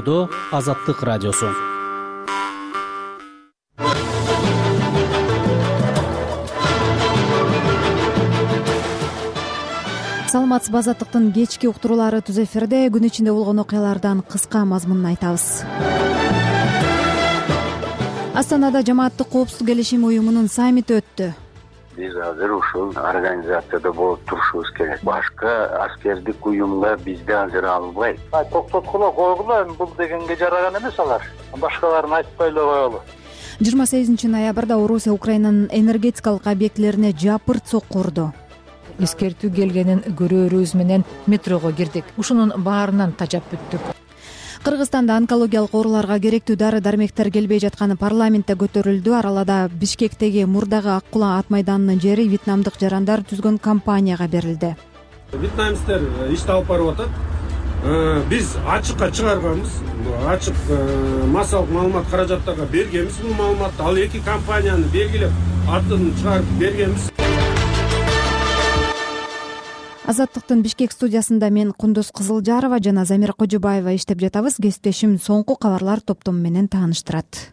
Борбордо Азаттык радиосу. Саламатсызбы, Азаттыктын кечки уктуруулары түз эфирде. Күн ичинде болгон окуялардан кыска мазмунун айтабыз. Астанада жамааттык коопсуздук келишим уюмунун саммити өттү. Биз азыр ушул организацияда болуп турушубуз керек. Башка аскердик уюмга бизди азыр албайт. Токтоткула койгула, бул дегенге жараган эмес алар. Башкаларын айтпайлы коелу. 28 ноябрда Орусия Украинанын энергетикалык объектилерине жапырт сокку урду. Эскертүү келгенин көрөөрүбүз менен метрого кирдик. Ушунун баарынан тажап бүттүк. Кыргызстанда онкологиялык ооруларга керектүү дары-дармектер келбей жатканы парламентте көтөрүлдү. Аралада Бишкектеги мурдагы Ак Кула ат майданынын жери вьетнамдык жарандар түзгөн компанияга берилди. Вьетнамецтер ишти алып барып атат. Биз ачыкка чыгарганбыз. Ачык массалык маалымат каражаттарга бергенбиз бул маалыматты. Ал эки компанияны белгилеп атын чыгарып бергенбиз. Азаттыктын Бишкек студиясында мен Кундуз Кызылжарова жана Замира Кожобаева иштеп жатабыз. Кесиптешим соңку кабарлар топтому менен тааныштырат.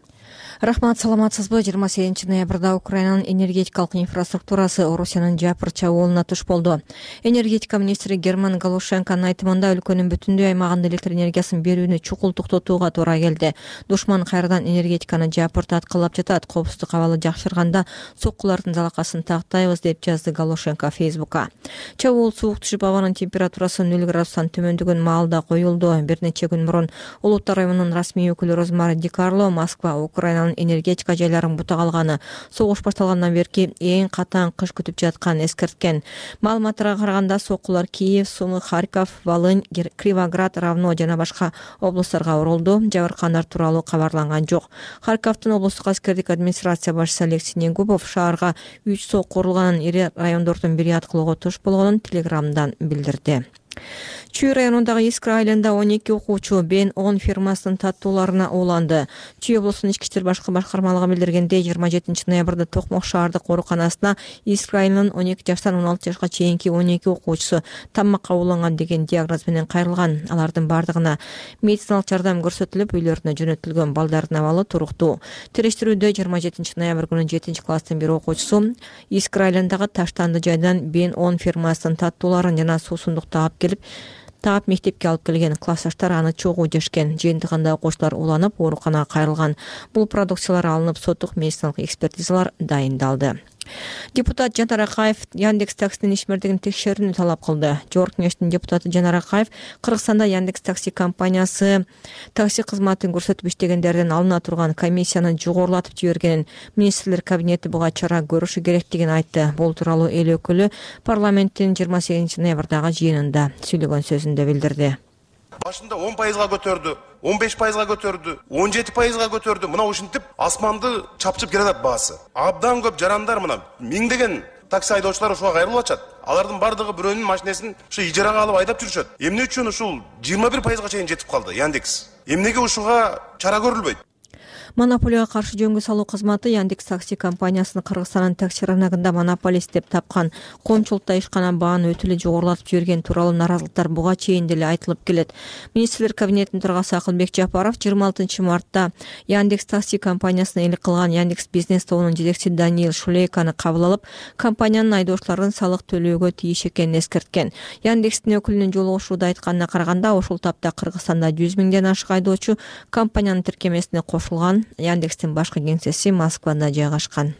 Рахмат, саламатсызбы? 28 ноябрда Украинанын энергетикалык инфраструктурасы Орусиянын жапырт чабуулуна туш болду. Энергетика министри Герман Галушенконун айтымында өлкөнүн бүтүндөй аймагында электр энергиясын берүүнү чукул токтотууга туура келди. Душман кайрадан энергетиканы жапырт аткылап жатат. Коопсуздук абалы жакшырганда соккулардын залакасын тактайбыз, деп жазды Галушенко Фейсбукка. Чабуул суук түшүп, абанын температурасы 0 градустан төмөндөгөн маалда коюлду. Бир нече күн мурун Улуттар районунун расмий өкүлү Розмари Ди Карло Москва Украинанын энергетика жайларын бутак алганы согуш башталгандан берки эң катаң кыш күтүп жатканын эскерткен. Маалыматтарга караганда соккулар Киев, Сумы, Харьков, Волынь, Кривоград, Равно жана башка облустарга урулду. Жабыркагандар тууралуу кабарланган жок. Харьковдун облустук аскердик администрация башчысы Алексей Негубов шаарга 3 сокку урулганын, ири райондордун бири аткылоого туш болгонун Телеграмдан билдирди. Чүй районундагы Искра айылында 12 окуучу Бен-10 фирмасынын таттууларына ууланды. Чүй облусунун ички иштер башкармалыгы билдиргендей, 27 ноябрда Токмок шаардык ооруканасына Искра айылынын 12 жаштан 16 жашка чейинки 12 окуучусу тамакка ууланган деген диагноз менен кайрылган. Алардын бардыгына медициналык жардам көрсөтүлүп, үйлөрүнө жөнөтүлгөн. Балдардын абалы туруктуу. Териштирүүдө 27 ноябрь күнү 7 класстын бир окуучусу Искра айылындагы Таштанды жайдан Бен-10 фирмасынын таттууларын жана суусундукту таап мектепке алып келген. Классташтар аны чогуу жешкен. Жыйынтыгында окуучулар уланып, ооруканага кайрылган. Бул продукциялар алынып, соттук медициналык экспертизалар дайындалды. Депутат Жанар Акаев Яндекс таксинин ишмердигин текшерүүнү талап кылды. Жогорку кеңештин депутаты Жанар Акаев Кыргызстанда Яндекс такси компаниясы такси кызматын көрсөтүп иштегендерден алына турган комиссияны жогорулатып жибергенин, министрлер кабинети буга чара көрүшү керектигин айтты. Бул тууралуу эл өкүлү парламенттин 28 ноябрдагы жыйынында сүйлөгөн сөзүндө билдирди. Башында 10%га көтөрдү, 15%га көтөрдү, 17%га көтөрдү. Мына ушинтип асманды чапчып келатат баасы. Абдан көп жарандар, мына миңдеген такси айдоочулар ушуга кайрылып атат. Алардын бардыгы бирөөнүн машинесин ушу ижарага алып айдап жүрүшөт. Эмне үчүн ушул 21%га чейин жетип калды Яндекс? Эмнеге ушуга чара көрүлбөйт? Монополияга каршы жөнгө салуу кызматы Яндекс такси компаниясын Кыргызстандын такси рыногунда монополист деп тапкан. Коомчулукта ишкана бааны өтө жогорулатып жиберген тууралуу наразылыктар буга чейин деле айтылып келет. Министрлер кабинетинин төрагасы Акылбек Жапаров 26 мартта Яндекс такси компаниясына элек кылган Яндекс бизнес тобунун жетекчиси Даниил Шулейканы кабыл алып, компаниянын айдоочуларын салык төлөөгө тийиш экенин эскерткен. Яндекстин өкүлүнүн жолугушууда айтканына караганда, ошол тапта Кыргызстанда 100 миңден ашык айдоочу компаниянын тиркемесине кошулган. Яндекстин башкы кеңсеси Москвада жайгашкан.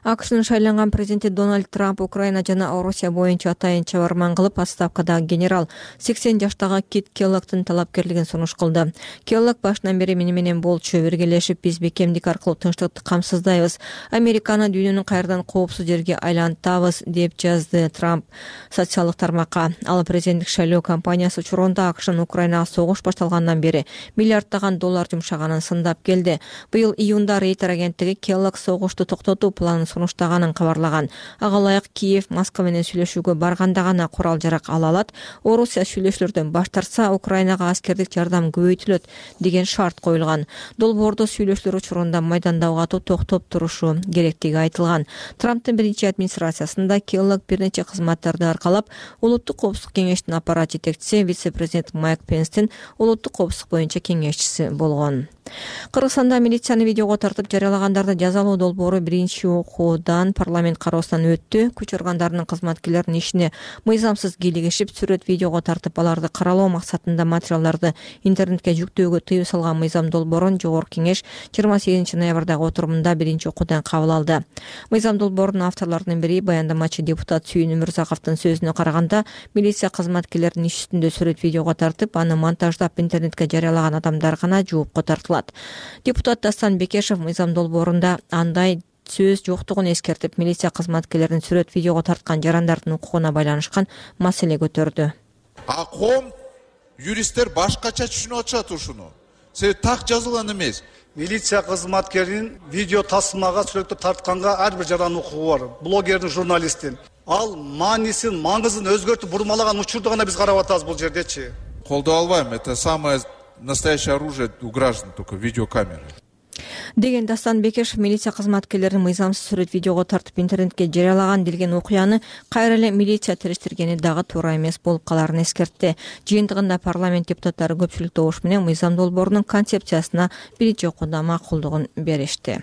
АКШнын шайланган президенти Дональд Трамп Украина жана Орусия боюнча атайын чабарман кылып, отставкадагы генерал 80 жаштагы Кит Келлогдун талапкерлигин сунуш кылды. Келлог башынан бери мени менен болчу, биргелешип биз бекемдик аркылуу тынчтыкты камсыздайбыз, Американы дүйнөнүн кайрадан коопсуз жерге айлантабыз, деп жазды Трамп социалдык тармакка. Ал президенттик шайлоо кампаниясы учурунда АКШнын Украинага согуш башталгандан бери миллиарддаган доллар жумшаганын сындап келди. Быйыл июнда Рейтер агенттиги Келлог согушту токтотуу планын сунуштаганын кабарлаган. Ага ылайык Киев Москва менен сүйлөшүүгө барганда гана курал жарак ала алат. Орусия сүйлөшүүлөрдөн баш тартса, Украинага аскердик жардам көбөйтүлөт деген шарт коюлган. Долбоордо сүйлөшүүлөр учурунда майдандагы атуу токтоп турушу керектиги айтылган. Трамптын биринчи администрациясында Келлог бир нече кызматтарды аркалап, Улуттук коопсуздук кеңештин аппарат жетекчиси вице-президент Майк Пенстин улуттук коопсуздук боюнча кеңешчиси болгон. Кыргызстанда милицияны видеого тартып жарыялагандарды жазалоо долбоору биринчи окуудан парламент кароосунан өттү. Күч органдарынын кызматкерлеринин ишине мыйзамсыз кийлигишип, сүрөт видеого тартып аларды каралоо максатында материалдарды интернетке жүктөөгө тыюу салган мыйзам долбоорун Жогорку Кеңеш 28 ноябрдагы отурумунда биринчи окуудан кабыл алды. Мыйзам долбоорунун авторлорунун бири баяндамачы депутат Сүйүн Өмүрзаковдун сөзүнө караганда, милиция кызматкерлеринин иш үстүндө сүрөт видеого тартып, аны монтаждап интернетке жарыялаган адамдар гана жоопко тартылат. Депутат Дастан Бекешев мыйзам долбоорунда андай сөз жоктугун эскертип, милиция кызматкерлеринин сүрөт видеого тарткан жарандардын укугуна байланышкан маселе көтөрдү. А коом юристтер башкача түшүнүп атышат ушуну. Себеби так жазылган эмес. Милиция кызматкеринин видео тасмага сүрөттү тартканга ар бир жарандын укугу бар. Блогердин, журналисттин. Ал маанисин, маңызын өзгөртүп бурмалаган учурду гана биз карап атабыз бул жердечи. Колдой албайм. Это самое настоящее оружие у граждан, только видеокамера. Деген Дастан Бекешев милиция кызматкерлерин мыйзамсыз сүрөт видеого тартып интернетке жарыялаган делген окуяны кайра эле милиция териштиргени дагы туура эмес болуп каларын эскертти. Жыйынтыгында парламент депутаттары көпчүлүк добуш менен мыйзам долбоорунун концепциясына биринчи окууда макулдугун беришти.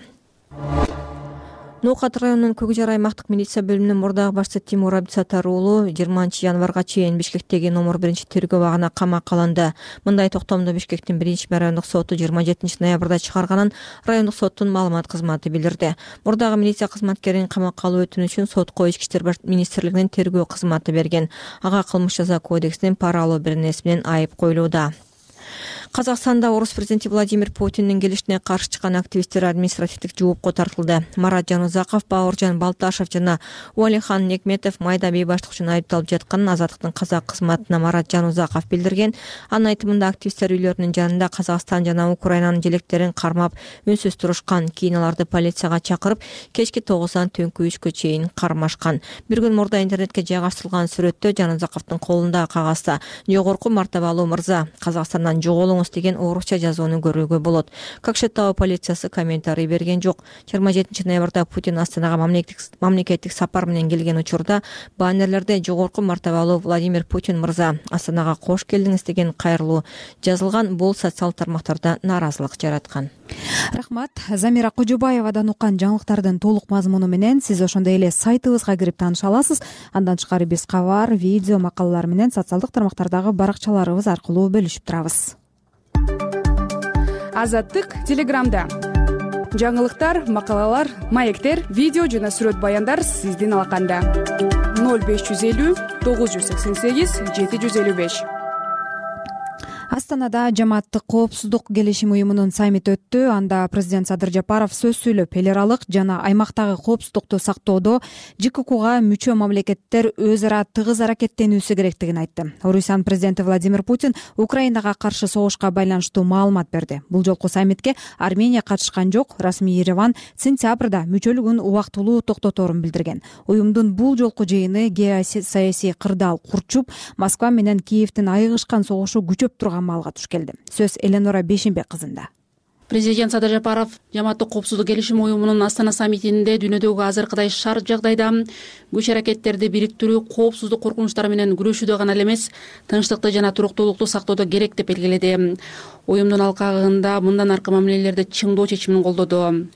Ноокат районунун Көкжар аймактык милиция бөлүмүнүн мурдагы башчысы Тимур Абдисаттар уулу 20 январга чейин Бишкектеги номер 1 тергөө абагына камакка алынды. Мындай токтомду Бишкектин 1 райондук соту 27 ноябрда чыгарганын райондук соттун маалымат кызматы билдирди. Мурдагы милиция кызматкерин камакка алуу өтүнүчүн сотко Ички иштер министрлигинин тергөө кызматы берген. Ага кылмыш жаза кодексинин пара алуу беренеси менен айып коюлууда. Казакстанда орус президенти Владимир Путиндин келишине каршы чыккан активисттер административдик жоопко тартылды. Марат Жанузаков, Бауыржан Балташев жана Уалихан Некметов майда бейбаштык үчүн айыпталып жатканын Азаттыктын казак кызматына Марат Жанузаков билдирген. Анын айтымында активисттер үйлөрүнүн жанында Казакстан жана Украинанын желектерин кармап үнсүз турушкан. Кийин аларды полицияга чакырып, кечки 9-дан түнкү 3-кө чейин кармашкан. Бир күн мурда интернетке жайгаштырылган сүрөттө Жанузаковдун колундагы кагазда жогорку мартабалуу мырза, Казакстандан жоголуңуз деген орусча жазууну көрүүгө болот. Кокшетау полициясы комментарий берген жок. 27 ноябрда Путин Астанага мамлекеттик сапар менен келген учурда баннерлерде жогорку мартабалуу Владимир Путин мырза, Астанага кош келдиңиз деген кайрылуу жазылган. Бул социал тармактарда нааразылык жараткан. Рахмат. Замира Кожобаевадан уккан жаңылыктардын толук мазмуну менен сиз ошондой эле сайтыбызга кирип тааныша аласыз. Андан тышкары биз кабар, видео, макалалар менен социалдык тармактардагы баракчаларыбыз аркылуу бөлүшүп турабыз. Азаттык Телеграмда. Жаңылыктар, макалалар, маектер, видео жана сүрөт баяндар сиздин алаканда. 0550 988 755. Астанада жамааттык коопсуздук келишим уюмунун саммити өттү. Анда президент Садыр Жапаров сөз сүйлөп, эл аралык жана аймактагы коопсуздукту сактоодо ЖККга мүчө мамлекеттер өз ара тыгыз аракеттенүүсү керектигин айтты. Орусиянын президенти Владимир Путин Украинага каршы согушка байланыштуу маалымат берди. Бул жолку саммитке Армения катышкан жок. Расмий Ереван сентябрда мүчөлүгүн убактылуу токтоторун билдирген. Уюмдун бул жолку жыйыны геосаясий кырдаал курчуп, Москва менен Киевдин айыгышкан согушу күчөп турган маалга туш келди. Сөз Эленора Бешенбек кызында. Президент Садыр Жапаров жамааттык коопсуздук келишим уюмунун Астана саммитинде дүйнөдөгү азыркыдай шарт жагдайда күч аракеттерди бириктирүү, коопсуздук коркунучтары менен күрөшүүдө гана эмес, тынчтыкты жана туруктуулукту сактоодо керек деп белгиледи. Уюмдун алкагында мындан аркы мамилелерди чыңдоо чечимин колдоду.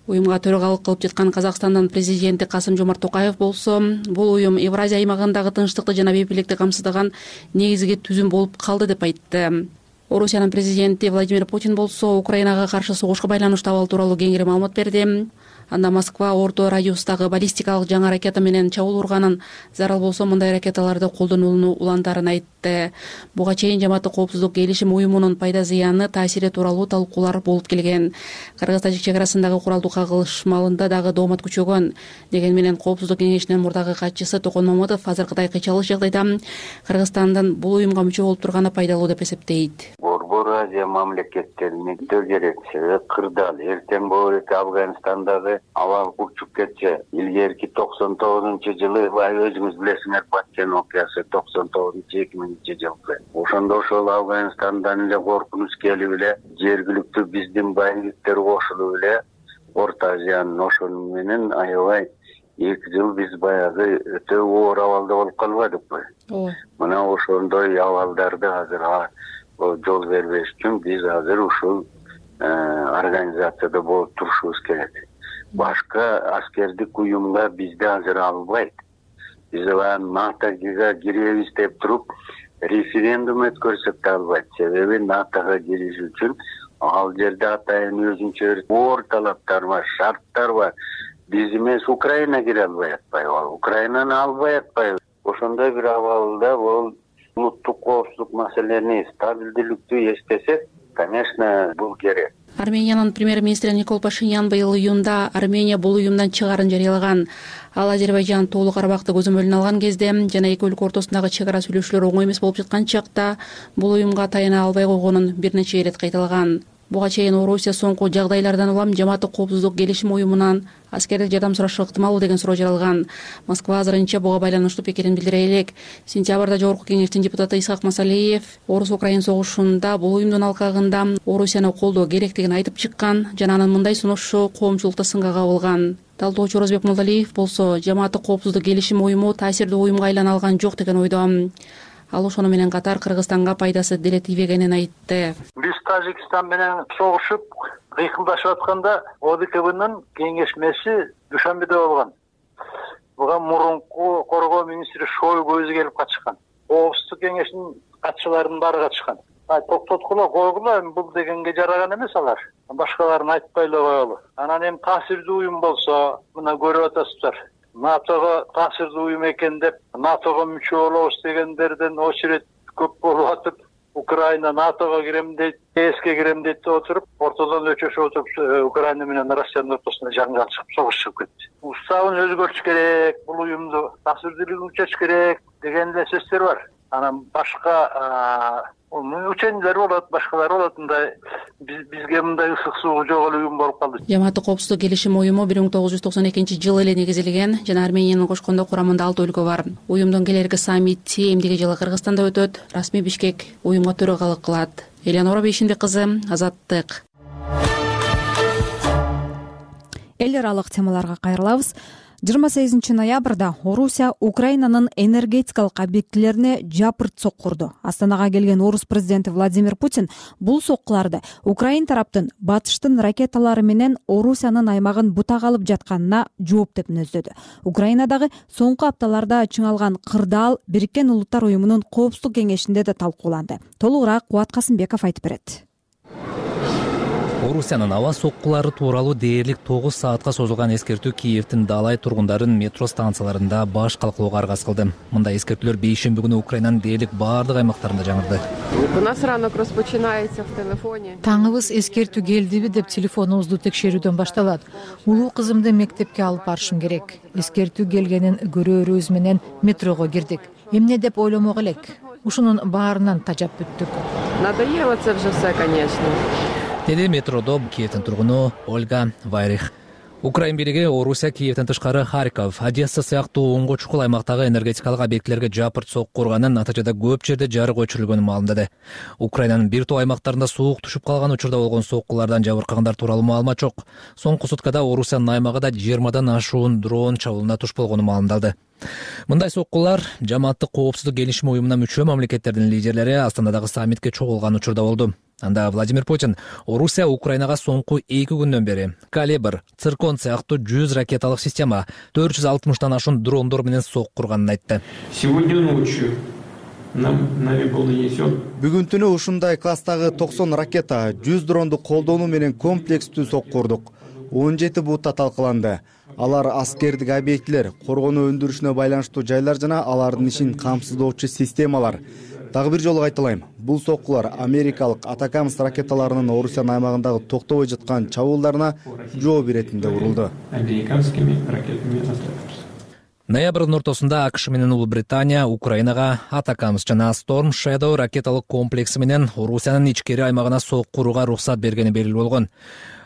Уюмга төрагалык кылып жаткан Казакстандын президенти Касым-Жомарт Токаев болсо, бул уюм Евразия аймагындагы тынчтыкты жана бейбирликти камсыздаган негизги түзүм болуп калды деп айтты. Орусиянын президенти Владимир Путин болсо, Украинага каршы согушка байланыштуу абал тууралуу кеңири маалымат берди. Анда Москва орто радиустагы баллистикалык жаңы ракета менен чабуул урганын, зарыл болсо мындай ракеталарды колдонууну уландарын айтты. Буга чейин жамааттык коопсуздук келишим уюмунун пайда зыяны, таасири тууралуу талкуулар болуп келген. Кыргыз-Тажик чек арасындагы куралдуу кагылышмалында дагы доомат күчөгөн. Деген менен коопсуздук кеңешинин мурдагы катчысы Токон Мамытов азыркыдай кыйчалык жагдайда Кыргызстандын бул уюмга мүчө болуп турганы пайдалуу деп эсептейт. Борбор Азия мамлекеттерине керек. Себеби кырдаал эртең болот Афганистандагы аба учуп кетсе. Илгерки 99-жылы өзүңүз билесиңер Баткен окуясы 99-2000-жылы. Ошондо ошол Афганистандан эле коркунуч келип эле жергиликтүү биздин байлыктар кошулуп эле Орто Азиянын ошону менен аябай 2 жыл биз баягы өтө оор абалда болуп калбадыкпы. Мына ошондой абалдарды азыр жол бербеш үчүн биз азыр ушул организацияда болуп турушубуз керек. Башка аскердик уюмга бизди азыр албайт. Биз НАТОга киребиз деп туруп референдум өткөрсөк да албайт. Себеби НАТОга кириш үчүн ал жерде атайын өзүнчө оор талаптар бар, шарттар бар. Биз эмес Украина кире албай атпайбы? Украинаны албай атпайбы? Ошондой бир абалда бул улуттук коопсуздук маселени стабилдүүлүктү эстесек, конечно, бул керек. Армениянын премьер-министри Никол Пашинян быйыл июнда Армения бул уюмдан чыгаарын жарыялаган. Ал Азербайжан Тоолук Карабакты көзөмөлүнө алган кезде жана эки өлкө ортосундагы чек ара сүйлөшүүлөр оңой эмес болуп жаткан чакта бул уюмга таяна албай койгонун бир нече ирет кайталаган. Буга чейин Орусия соңку жагдайлардан улам Жамааттык коопсуздук келишим уюмунан аскердик жардам сурашы ыктымалбы деген суроо жаралган. Москва азырынча буга байланыштуу пикирин билдире элек. Сентябрда Жогорку Кеңештин депутаты Исхак Масалиев Орус-Украин согушунда бул уюмдун алкагында Орусияны колдоо керектигин айтып чыккан жана анын мындай сунушу коомчулукта сынга кабылган. Талдоочу Орозбек Молдалиев болсо Жамааттык коопсуздук келишим уюму таасирдүү уюмга айлана алган жок деген ойдо. Ал ошону менен катар Кыргызстанга пайдасы деле тийбегенин айтты. Биз Тажикстан менен согушуп, кыйкылдашып атканда ОДКБнын кеңешмеси Душанбеде болгон. Буга мурунку коргоо министри Шойгу өзү келип катышкан. Коопсуздук кеңешинин катчыларынын баары катышкан. Токтоткула койгула, бул дегенге жараган эмес алар. Башкаларын айтпай эле коелу. Анан эми таасирдүү уюм болсо, мына көрүп атасыздар. НАТОга таасирдүү уюм экен деп, НАТОга мүчө болобуз дегендерден очередь көп болуп атып, Украина НАТОга кирем дейт, ЕСке кирем дейт деп отуруп, ортодон өчөшүп отуруп, Украина менен Россиянын ортосунда жаңжал чыгып, согуш чыгып кетти. Уставын өзгөртүш керек, бул уюмду таасирдүүлүгүн күчөтүш керек деген эле сөздөр бар. Анан башка учениялар болот, башкалар болот, мындай бизге мындай ысык суу жок эле уюм болуп калды. Жамааттык коопсуздук келишим уюму 1992-жылы эле негизилген жана Армениянын кошкондо курамында 6 өлкө бар. Уюмдун келерки саммити эмдиги жылы Кыргызстанда өтөт. Расмий Бишкек уюмга төрагалык кылат. Элеонора Бейшимбек кызы, Азаттык. Эл аралык темаларга кайрылабыз. 28 ноябрда Орусия Украинанын энергетикалык объектилерине жапырт соккурду. Астанага келген орус президенти Владимир Путин бул соккуларды Украин тараптын батыштын ракеталары менен Орусиянын аймагын бутак алып жатканына жооп деп мүнөздөдү. Украинадагы соңку апталарда чыңалган кырдаал Бириккен Улуттар уюмунун коопсуздук кеңешинде да талкууланды. Толугураак Кубат Касымбеков айтып берет. Орусиянын аба соккулары тууралуу дээрлик 9 саатка созулган эскертүү Киевдин Далай тургундарын метро станцияларында баш калкылоого аргасыз кылды. Мындай эскертүүлөр бейшемби күнү Украинанын дээрлик баардык аймактарында жаңырды. Таңыбыз эскертүү келдиби деп телефонубузду текшерүүдөн башталат. Улуу кызымды мектепке алып барышым керек. Эскертүү келгенин көрөөрүбүз менен метрого кирдик. Эмне деп ойломок элек. Ушунун баарынан тажап бүттүк. Надоело это уже все, конечно. Деди метродо Киевдин тургуну Ольга Вайрих. Украин бийлиги Орусия Киевден тышкары Харьков, Одесса сыяктуу оңго чукул аймактагы энергетикалык объектилерге жапырт соккурганын, натыйжада көп жерде жарык өчүрүлгөнүн маалымдады. Украинанын бир топ аймактарында суук түшүп калган учурда болгон соккулардан жабыркагандар тууралуу маалымат жок. Соңку суткада Орусиянын аймагында 20-дан ашуун дрон чабуулуна туш болгону маалымдалды. Мындай соккулар Жамааттык коопсуздук келишим уюмуна мүчө мамлекеттердин лидерлери Астанадагы саммитке чогулган учурда болду. Анда Владимир Путин Орусия Украинага соңку 2 күндөн бери Калибр, Циркон сыяктуу 100 ракеталык система, 460тан ашуун дрондор менен соккурганын айтты. Сегодня ночью нами был нанесен. Бүгүн түнү ушундай класстагы 90 ракета, 100 дронду колдонуу менен комплекстүү соккурдук. 17 бутта талкаланды. Алар аскердик объектилер, коргонуу өндүрүшүнө байланыштуу жайлар жана алардын ишин камсыздоочу системалар. Дагы бир жолу кайталайм. Бул соккулар америкалык Атакамс ракеталарынын Орусиянын аймагындагы токтобой жаткан чабуулдарына жооп иретинде урулду. Американскими ракетами Атакамс. Ноябрдын ортосунда АКШ менен Улуу Британия Украинага Атакамс жана Storm Shadow ракеталык комплекси менен Орусиянын ичкери аймагына сок курууга уруксат бергени белгилүү болгон.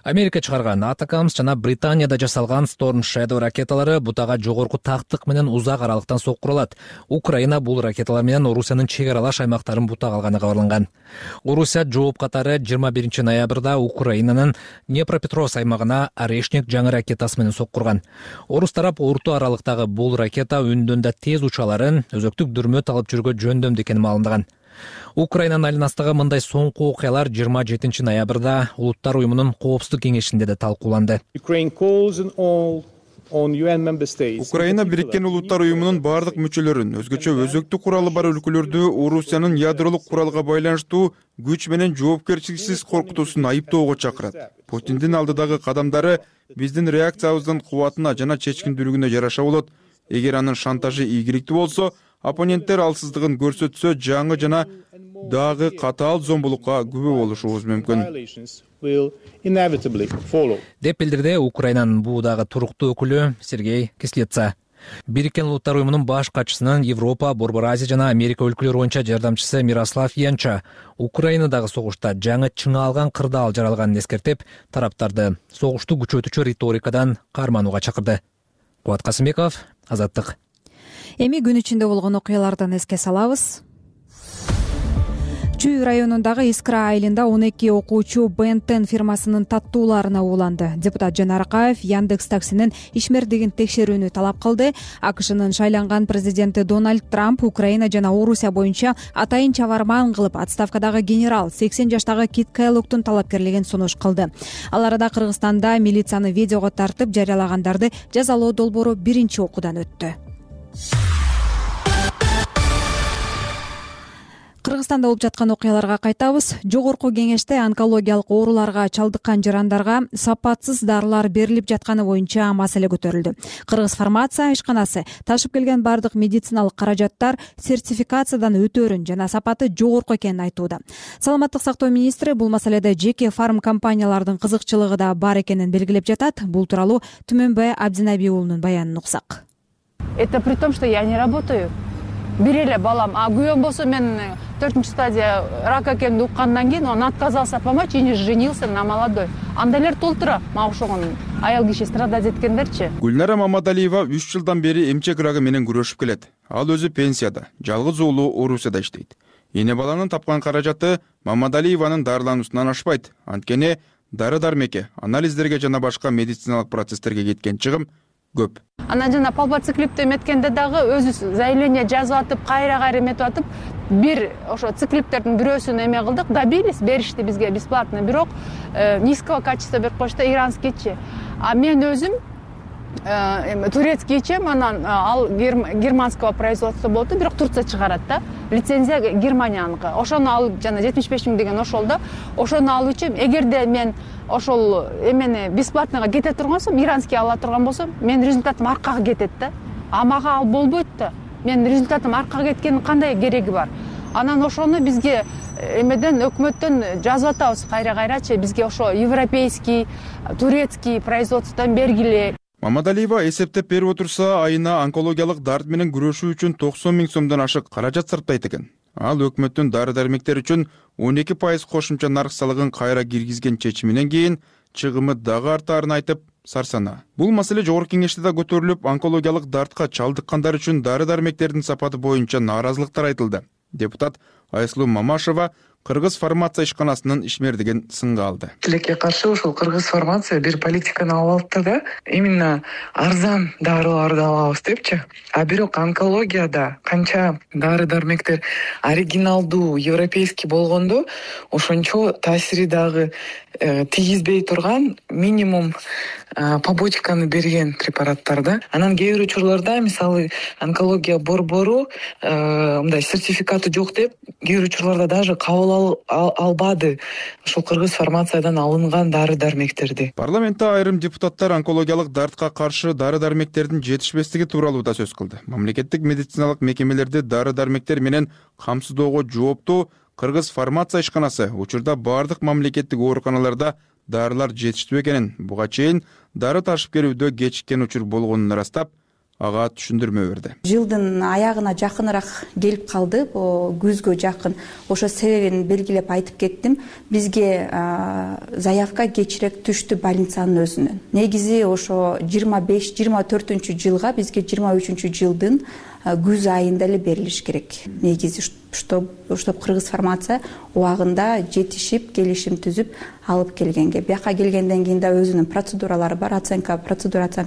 Америка чыгарган Атакамс жана Британияда жасалган Storm Shadow ракеталары бутага жогорку тактык менен узак аралыктан сок кура алат. Украина бул ракеталар менен Орусиянын чек аралаш аймактарын бутага алганы кабарланган. Орусия жооп катары 21 ноябрда Украинанын Днепропетровск аймагына Орешник жаңы ракетасы менен сок курган. Орус тарап орто аралыктагы бул ракета үндөн да тез учаларын өзөктүк дүрмөт алып жүргө жөндөмдүү экени маалымдаган. Украинанын айланасындагы мындай соңку окуялар 27 ноябрда Улуттар уюмунун коопсуздук кеңешинде да талкууланды. Украина Бириккен Улуттар уюмунун бардык мүчөлөрүн, өзгөчө өзөктүк куралы бар өлкөлөрдү Орусиянын ядролук куралга байланыштуу күч менен жоопкерчиликсиз коркутуусун айыптоого чакырат. Путиндин алдыдагы кадамдары биздин реакциябыздын кубатына жана чечкиндүүлүгүнө жараша болот. Эгер анын шантажы ийгиликтүү болсо, оппоненттер алсыздыгын көрсөтсө, жаңы жана дагы катаал зомбулукка күбө болушубуз мүмкүн. Деп билдирди Украинанын бул дагы туруктуу өкүлү Сергей Кислица. Бириккен Улуттар уюмунун баш катчысынын Европа, Борбор Азия жана Америка өлкөлөрү боюнча жардамчысы Мирослав Янча Украинадагы согушта жаңы чыңалган кырдаал жаралганын эскертип, тараптарды согушту күчөтүүчү риторикадан карманууга чакырды. Кубат Касымбеков, Азаттык. Эми күн ичинде болгон окуялардан эске салабыз. Чүй районундагы Искра айылында 12 окуучу Бентен фирмасынын таттууларына ууланды. Депутат Жанар Акаев Яндекс таксинин ишмердигин текшерүүнү талап кылды. АКШнын шайланган президенти Дональд Трамп Украина жана Орусия боюнча атайын чабарман кылып отставкадагы генерал 80 жаштагы Кит Кэллогдун талапкерлигин сунуш кылды. Ал арада Кыргызстанда милицияны видеого тартып жарыялагандарды жазалоо долбоору биринчи окуудан өттү. Кыргызстанда болуп жаткан окуяларга кайтабыз. Жогорку кеңеште онкологиялык ооруларга чалдыккан жарандарга сапатсыз дарылар берилип жатканы боюнча маселе көтөрүлдү. Кыргыз фармация ишканасы ташып келген бардык медициналык каражаттар сертификациядан өтөөрүн жана сапаты жогорку экенин айтууда. Саламаттык сактоо министри бул маселеде жеке фарм компаниялардын кызыкчылыгы да бар экенин белгилеп жатат. Бул тууралуу Түмөнбай Абдинабий уулунун баянын уксак. Это при том, что я не работаю. Бир эле балам, а күйөөм болсо мен 4-чү стадия рак экенин уккандан кийин он отказался помочь и женился на молодой. Андайлар толтура, мага ошогон аял киши страдать эткендерчи. Гүлнара Мамадалиева 3 жылдан бери эмчек рагы менен күрөшүп келет. Ал өзү пенсияда, жалгыз уулу Орусияда иштейт. Эне баланын тапкан каражаты Мамадалиеванын дарылануусунан ашпайт. Анткени дары-дармекке, анализдерге жана башка медициналык процесстерге кеткен чыгым көп. Анан жана палпациклипти эметкенде дагы өзү заявление жазып атып, кайра эметип атып, бир ошо циклиптердин бирөөсүн эме кылдык, добились, беришти бизге бесплатно, бирок низкого качества берип койушту, иранскийчи. А мен өзүм турецкийчи, анан ал германского производства болду, бирок Турция чыгарат да. Лицензия Германияныкы. Ошону алып жана 75 000 деген ошол да. Ошону алуучу, эгерде мен ошол эмени бесплатныйга кете турган болсом, иранский ала турган болсом, мен результатым аркага кетет да. А мага ал болбойт да. Мен результатым аркага кеткенин кандай кереги бар? Анан ошону бизге эмеден өкмөттөн жазып атабыз кайра-кайрачы, бизге ошо европейский, турецкий производстводан бергиле. Мамадалиева эсептеп берип отурса, айына онкологиялык дарт менен күрөшүү үчүн 90 000 сомдон ашык каражат сарптайт экен. Ал өкмөттүн дары-дармектер үчүн 12% кошумча нарк салыгын кайра киргизген чечиминен кийин чыгымы дагы артаарын айтып, сарсана. Бул маселе жогорку кеңеште да көтөрүлүп, онкологиялык дартка чалдыккандар үчүн дары-дармектердин сапаты боюнча нааразылыктар айтылды. Депутат Айслуу Мамашева Кыргыз фармация ишканасынын ишмердигин сынга алды. Тилекке каршы ошол Кыргыз фармация бир политиканы алып алды да, именно арзан дарыларды алабыз депчи. А бирок онкологияда канча дары-дармектер оригиналдуу, европейский болгондо, ошончо таасири дагы тийгизбей турган минимум побочканы берген препараттар да. Анан кээ бир учурларда, мисалы, онкология борбору мындай сертификаты жок деп, кээ бир учурларда даже кабыл албады ошол Кыргыз фармациядан алынган дары-дармектерди. Парламентте айрым депутаттар онкологиялык дартка каршы дары-дармектердин жетишпестиги тууралуу да сөз кылды. Мамлекеттик медициналык мекемелерди дары-дармектер менен камсыздоого жооптуу Кыргыз фармация ишканасы учурда бардык мамлекеттик ооруканаларда дарылар жетиштүү экенин, буга чейин дары ташып келүүдө кечиккен учур болгонун ырастап, ага түшүндүрмө берди. Жылдын аягына жакыныраак келип калды, күзгө жакын. Ошо себебин белгилеп айтып кеттим. Бизге заявка кечирээк түштү больницанын өзүнөн. Негизи ошо 25-24 жылга бизге 23 жылдын күз айында эле берилиш керек. Негизи штаб Кыргыз фармация убагында жетишип, келишим түзүп алып келгенге. Бияка келгенден кийин да өзүнүн процедуралары бар. Оценка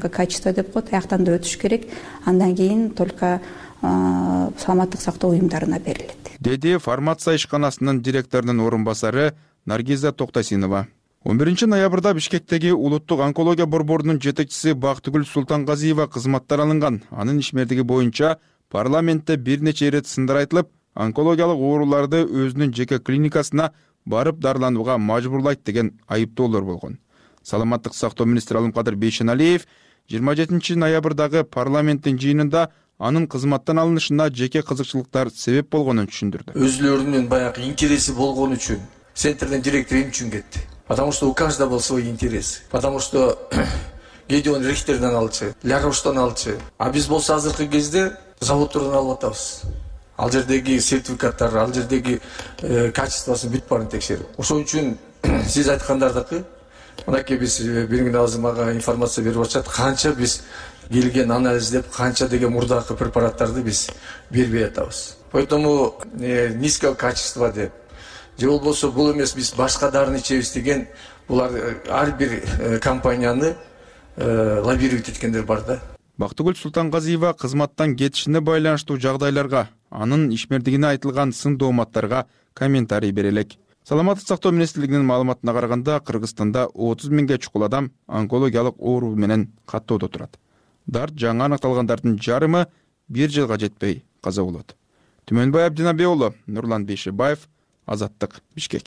качества деп коет. Аяктан да өтүш керек. Андан кийин только саламаттык сактоо уюмдарына берилет. Деди фармация ишканасынын директорунун орун басары Наргиза Токтосинова. 11 ноябрда Бишкектеги улуттук онкология борборунун жетекчиси Бактыгүл Султангазиева кызматтан алынган. Анын ишмердиги боюнча парламентте бир нече ирет сындар айтылып, онкологиялык ооруларды өзүнүн жеке клиникасына барып дарыланууга мажбурлайт деген айыптоолор болгон. Саламаттык сактоо министри Алымкадыр Бейшеналиев 27 ноябрдагы парламенттин жыйынында анын кызматтан алынышына жеке кызыкчылыктар себеп болгонун түшүндүрдү. Өзүлөрүнүн баягы интереси болгон үчүн центрдин директору эмне үчүн кетти? Потому что у каждого был свой интерес. Потому что Гедеон Рихтерден алчу, Ляроштан алчу. А биз болсо азыркы кезде заводдордон алып атабыз. Ал жердеги сертификаттар, ал жердеги качествосын бүт баарын текшерип. Ошон үчүн сиз айткандардыкы мынакей биз бир күн азыр мага информация берип атышат. Канча биз келген анализдеп, канча деген мурдакы препараттарды биз бербей атабыз. Поэтому низкого качества деп же болбосо бул эмес биз башка дарыны ичебиз деген булар ар бир компанияны лоббировать эткендер бар да. Бактыгүл Султангазиева кызматтан кетишине байланыштуу жагдайларга, анын ишмердигине айтылган сын дооматтарга комментарий бере элек. Саламаттык сактоо министрлигинин маалыматына караганда, Кыргызстанда 30 миңге чукул адам онкологиялык оору менен каттоодо турат. Дарт жаңы аныкталгандардын жарымы 1 жылга жетпей каза болот. Түмөнбай Абдинабек уулу, Нурлан Бейшебаев, Азаттык, Бишкек.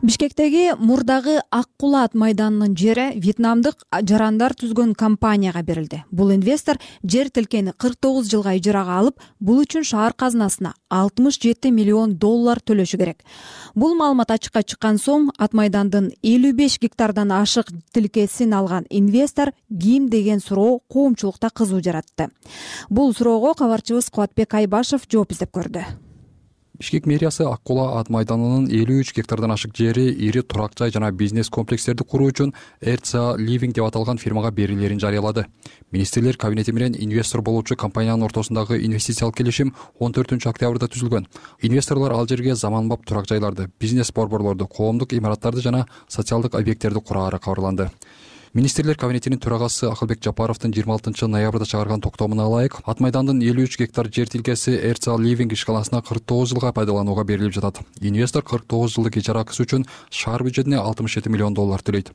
Бишкектеги мурдагы Ак Кулаат майданынын жери вьетнамдык жарандар түзгөн компанияга берилди. Бул инвестор жер тилкени 49 жылга ижарага алып, бул үчүн шаар казынасына $67 миллион төлөшү керек. Бул маалымат ачыкка чыккан соң ат майдандын 55 гектардан ашык тилкесин алган инвестор ким деген суроо коомчулукта кызуу жаратты. Бул суроого кабарчыбыз Кубатбек Айбашев жооп издеп көрдү. Бишкек мэриясы Ак Кулаат майданынын 53 гектардан ашык жери ири турак жай жана бизнес комплекстерди куруу үчүн RCA Living деп аталган фирмага берилерин жарыялады. Министрлер кабинети менен инвестор болуучу компаниянын ортосундагы инвестициялык келишим 14 октябрда түзүлгөн. Инвесторлор ал жерге заманбап турак жайларды, бизнес борборлорду, коомдук имараттарды жана социалдык объекттерди кураары кабарланды. Министрлер кабинетинин төрагасы Акылбек Жапаровдун 26 ноябрда чыгарган токтомуна ылайык, ат майдандын 53 гектар жер тилкеси RCA Living ишканасына 49 жылга пайдаланууга берилип жатат. Инвестор 49 жылдык ижара акысы үчүн шаар бюджетине $67 миллион төлөйт.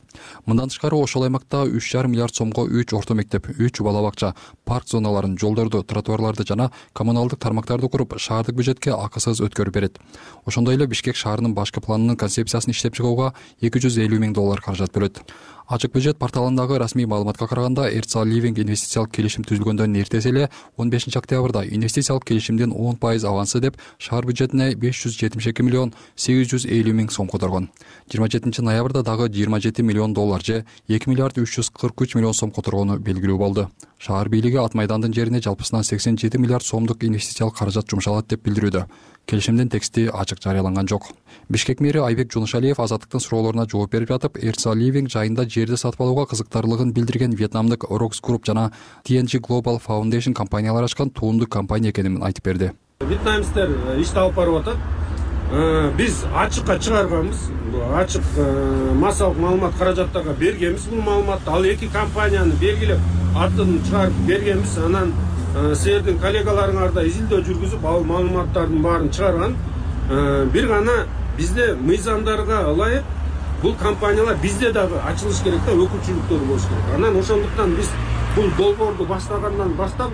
Мындан тышкары ошол аймакта 3,5 миллиард сомго 3 орто мектеп, 3 бала бакча, парк зоналарын, жолдорду, тротуарларды жана коммуналдык тармактарды куруп, шаардык бюджетке акысыз өткөрүп берет. Ошондой эле Бишкек шаарынын башкы планынын концепциясын иштеп чыгууга $250 миң каражат бөлөт. Ачык бюджет порталындагы расмий маалыматка караганда, RCA Living инвестициялык келишим түзүлгөндөн эртеси эле 15 октябрда инвестициялык келишимдин 10% авансы деп шаар бюджетине $572 миллион 850 миң сом которгон. 27 ноябрда дагы $27 миллион же 2 миллиард 343 миллион сом которгону белгилүү болду. Шаар бийлиги ат майдандын жерине жалпысынан 87 миллиард сомдук инвестициялык каражат жумшалат деп билдирүүдө. Келишимдин тексти ачык жарыяланган жок. Бишкек мэри Айбек Жунушалиев азаттыктын суроолоруна жооп берип жатып, RCA Living жайында жерди сатып алууга кызыктарлыгын билдирген вьетнамдык Rox Group жана TNG Global Foundation компаниялары ачкан туунду компания экенин айтып берди. Вьетнамецтер ишти алып барып атат. Биз ачыкка чыгарганбыз. Ачык массалык маалымат каражаттарга бергенбиз бул маалыматты. Ал эки компанияны белгилеп атын чыгарып бергенбиз. Анан силердин коллегаларыңар да изилдөө жүргүзүп ал маалыматтардын баарын чыгарган. Бир гана бизде мыйзамдарга ылайык бул компаниялар бизде дагы ачылыш керек да, өкүлчүлүктөр болуш керек. Анан ошондуктан биз бул долбоорду баштагандан баштап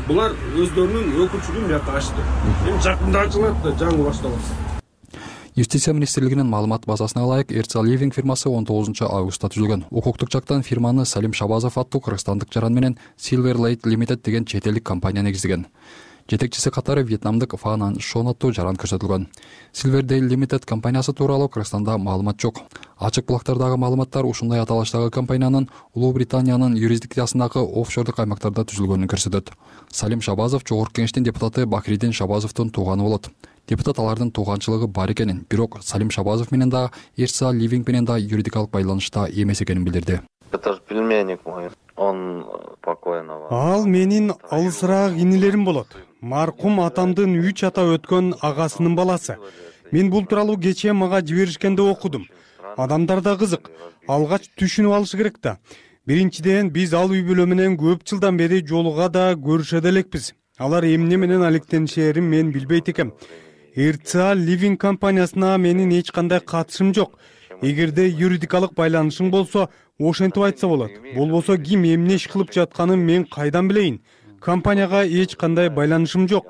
булар өздөрүнүн өкүлчүлүгүн бияка ачты. Эми жакында ачылат да, жаңы башталат. Юстиция министрлигинин маалымат базасына ылайык, RCA Living фирмасы 19 августта түзүлгөн. Укуктук жактан фирманы Салим Шабазов аттуу кыргызстандык жаран менен Silver Lake Limited деген чет элдик компания негиздеген. Жетекчиси катары вьетнамдык Фанан Шон аттуу жаран көрсөтүлгөн. Silverdale Limited компаниясы тууралуу Кыргызстанда маалымат жок. Ачык булактардагы маалыматтар ушундай аталыштагы компаниянын Улуу Британиянын юрисдикциясындагы офшордук аймактарда түзүлгөнүн көрсөтөт. Салим Шабазов Жогорку Кеңештин депутаты Бакиридин Шабазовдун тууганы болот. Депутат алардын тууганчылыгы бар экенин, бирок Салим Шабазов менен да Эрца Ливинг менен да юридикалык байланышта эмес экенин билдирди. Это же племянник мой, он покойного. Ал менин алысыраак инилерим болот. Маркум атамдын 3 ата өткөн агасынын баласы. Мен бул тууралуу кечээ мага жиберишкенде окудум. Адамдар да кызык. Алгач түшүнүп алышы керек да. Биринчиден биз ал үй бүлө менен көп жылдан бери жолуга да көрүшө да элекпиз. Алар эмне менен алектенишээрин мен билбейт экем. Эрца Ливинг компаниясына менин эч кандай катышым жок. Эгерде юридикалык байланышың болсо, ошентип айтса болот. Болбосо ким эмне иш кылып жатканын мен кайдан билейин? Компанияга эч кандай байланышым жок.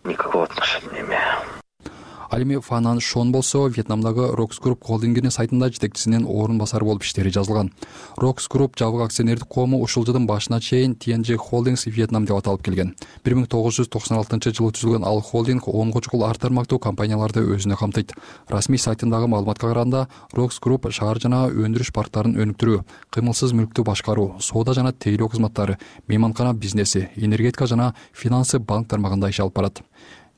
Никакого отношения не имею. Ал эми Фанан Шон болсо Вьетнамдагы Rox Group холдингинин сайтында жетекчисинин орун басары болуп иштери жазылган. Rox Group жабык акционердик коому ушул жылдын башына чейин TNG Holdings Vietnam деп аталып келген. 1996-жылы түзүлгөн ал холдинг 10 чукул ар тармактуу компанияларды өзүнө камтыйт. Расмий сайтындагы маалыматка караганда Rox Group шаар жана өндүрүш парктарын өнүктүрүү, кыймылсыз мүлктү башкаруу, соода жана тейлөө кызматтары, мейманкана бизнеси, энергетика жана финансы банк тармагында иш алып барат.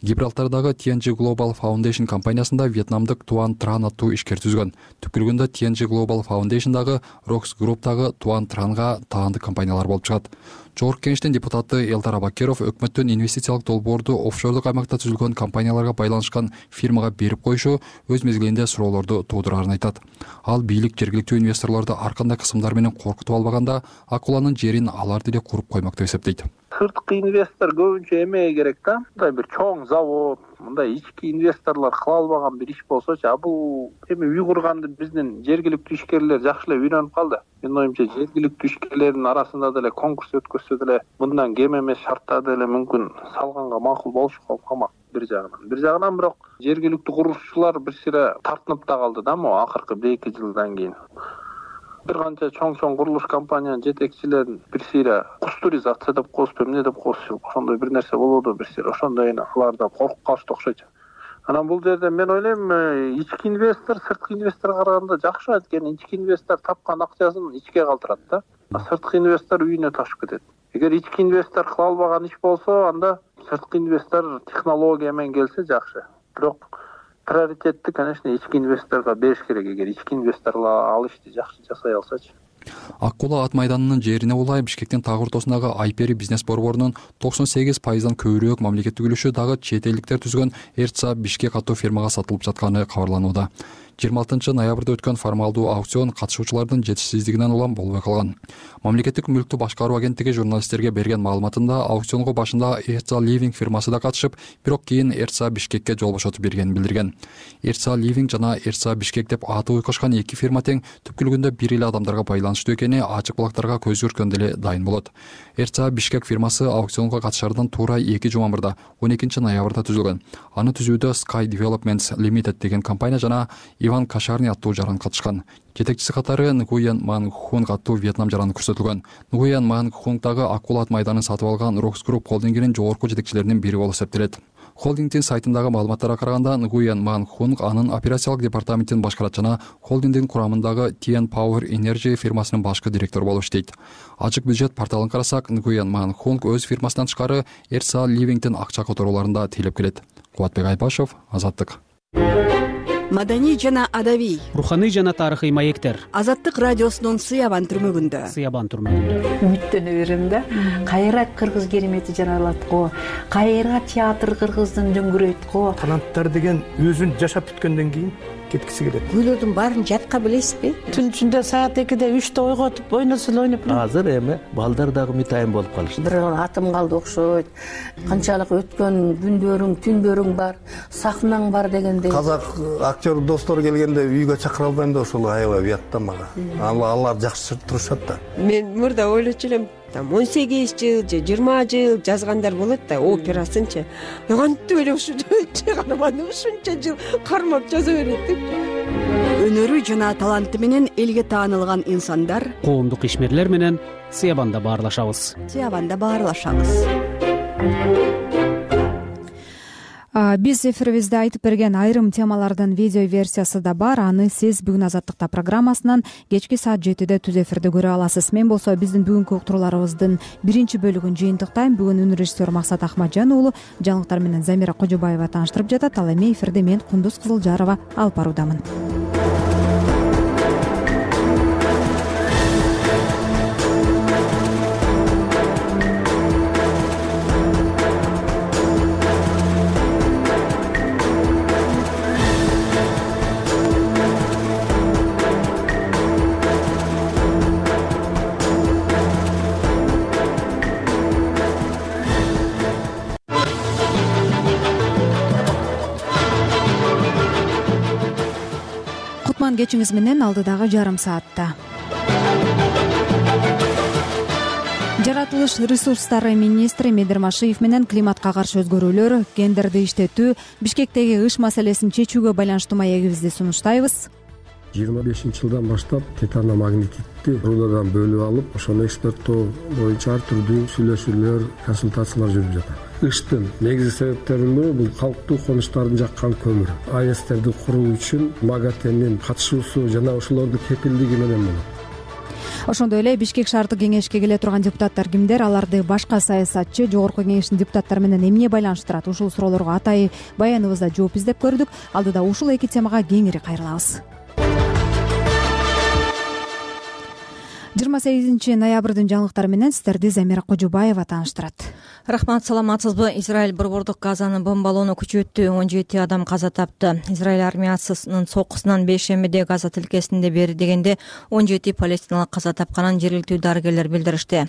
Гибралтардагы TNG Global Foundation компаниясында вьетнамдык Туан Тран аттуу ишкер түзгөн. Түпкүлүгүндө TNG Global Foundationdагы Rox Group'тагы Туан Транга таандык компаниялар болуп чыгат. Жогорку Кеңештин депутаты Элдар Абакеров өкмөттүн инвестициялык долбоорду офшордук аймакта түзүлгөн компанияларга байланышкан фирмага берип коюшу өз мезгилинде суроолорду туудурарын айтат. Ал бийлик жергиликтүү инвесторлорду ар кандай кысымдар менен коркутуп албаганда акуланын жерин алар деле куруп коймок деп эсептейт. Сырткы инвестор көбүнчө эмеге керек да. Мындай бир чоң завод, мындай ички инвесторлор кыла албаган бир иш болсочу, бул эми үй курганды биздин жергиликтүү ишкерлер жакшы эле үйрөнүп калды. Менин оюмча жергиликтүү ишкерлердин арасында деле конкурс өткөзсө деле мындан кем эмес шарттарда деле мүмкүн салганга макул болушу калмак бир жагынан. Бир жагынан бирок жергиликтүү курушчулар бир сире тартынып да калды да могу акыркы 1-2 жылдан кийин. Бир канча чоң курулуш компаниянын жетекчилерин бир сире кустуризация деп коюп, эмне деп коюп, ошондой бир нерсе болууда бир сире. Ошондой алар да коркуп калышты окшойт. Анан бул жерде мен ойлойм, ички инвестор сырткы инвесторго караганда жакшы экен. Ички инвестор тапкан акчасын ичке калтырат да. Сырткы инвестор үйүнө ташып кетет. Эгер ички инвестор кыла албаган иш болсо, анда сырткы инвестор технология менен келсе жакшы. Бирок приоритетти, конечно, ички инвесторго бериш керек, эгер ички инвесторлор ал ишти жакшы жасай алсачы. Ак-Кулаа ат майданынын жерине улай Бишкектин таг ортосундагы Айпери бизнес борборунун 98%дан көбүрөөк мамлекеттик үлүшү дагы чет элдиктер түзгөн Эрца Бишкек аттуу фирмага сатылып жатканы кабарланууда. 26 ноябрда өткөн формалдуу аукцион катышуучулардын жетишсиздигинен улам болбой калган. Мамлекеттик мүлктү башкаруу агенттиги журналисттерге берген маалыматында аукционго башында Эрца Ливинг фирмасы да катышып, бирок кийин Эрца Бишкекке жол бошотуп бергенин билдирген. Эрца Ливинг жана Эрца Бишкек деп аты уйкушкан эки фирма тең түпкүлүгүндө бир эле адамдарга байланыштуу экени ачык булактарга көз көргөндө эле дайын болот. Эрца Бишкек фирмасы аукционго катышаардан туура 2 жума мурда 12 ноябрда түзүлгөн. Аны түзүүдө Sky Developments Limited деген компания жана Иван Кашарни аттуу жаран катышкан. Жетекчиси катары Нгуен Ман Хунг аттуу Вьетнам жараны көрсөтүлгөн. Нгуен Ман Хунгдагы Ак-Кулаа ат майданын сатып алган Rox Group холдингинин жогорку жетекчилеринин бири болуп эсептелет. Холдингдин сайтындагы маалыматтарга караганда Нгуен Ман Хунг анын операциялык департаментин башкарат жана холдингдин курамындагы TN Power Energy фирмасынын башкы директору болуп иштейт. Ачык бюджет порталын карасак, Нгуен Ман Хунг өз фирмасынан тышкары Эрца Ливингдин акча которууларында тейлеп келет. Кубатбек Айбашев, Азаттык. Маданий жана адабий, руханий жана тарыхый маектер. Азаттык радиосунун Сыябан түрмөгүндө. Үмүттөнө берем да. Кайра кыргыз керемети жаралат го. Кайра театр кыргыздын дөңгүрөйт го. Таланттар деген өзүн жашап бүткөндөн кийин кеткиси келет. Гүлөрдүн баарын жатка билесизби? Түн ичинде саат 2-де 3-те ойготуп ойносо эле ойноп. Азыр эми балдар дагы мытайын болуп калышты. Бир атым калды окшойт. Канчалык өткөн күндөрүң, түндөрүң бар, сахнаң бар дегендей. Казак актер достор келгенде үйгө чакыра албайм да ошол аябай уятта мага. Алар жакшы турушат да. Мен мурда ойлочу элем, 18 жыл же 20 жыл жазгандар болот да, операсынчы. Кантип эле ушунча каарманды ушунча жыл кармап жаза берет деп. Өнөрү жана таланты менен элге таанылган инсандар коомдук ишмерлер менен Сыябанда баарлашабыз. Биз эфирибизде айтып берген айрым темалардын видео версиясы да бар. Аны сиз бүгүн Азаттыкта программасынан кечки саат 7-де түз эфирде көрө аласыз. Мен болсо биздин бүгүнкү уктурууларыбыздын биринчи бөлүгүн жыйынтыктайм. Бүгүн үнү режиссер Максат Ахмаджан уулу жаңылыктар менен Замира Кожобаева тааныштырып жатат. Ал эми эфирде мен Кундуз Кызылжарова алып баруудамын. Кечиңиз менен алдыдагы жарым саатта жаратылыш ресурстары министри Медер Машиев менен климатка каршы өзгөрүүлөр, гендерди иштетүү, Бишкектеги ыш маселесин чечүүгө байланыштуу маегибизди сунуштайбыз. 25-жылдан баштап титаномагнетитти рудадан бөлүп алып, ошону экспорттоо боюнча ар түрдүү сүйлөшүүлөр, консультациялар жүрүп жатат. Ыштын негизги себептеринин бири бул калктуу конуштардын жаккан көмүр. АЭСтерди куруу үчүн МАГАТЭнин катышуусу жана ошолордун кепилдиги менен болот. Ошондой эле Бишкек шаардык кеңешке келе турган депутаттар кимдер? Аларды башка саясатчы, жогорку кеңештин депутаттары менен эмне байланыштырат? Ушул суроолорго атайын баяныбызда жооп издеп көрдүк. Алдыда ушул эки темага кеңири кайрылабыз. 28 ноябрдын жаңылыктары менен сиздерди Замира Кожобаева тааныштырат. Рахмат, саламатсызбы? Израиль борбордук Газаны бомбалоону күчөттү, 17 адам каза тапты. Израиль армиясынын сокусунан бейшембиде Газа тилкесинде бери дегенде 17 палестиналык каза тапканын жергиликтүү дарыгерлер билдиришти.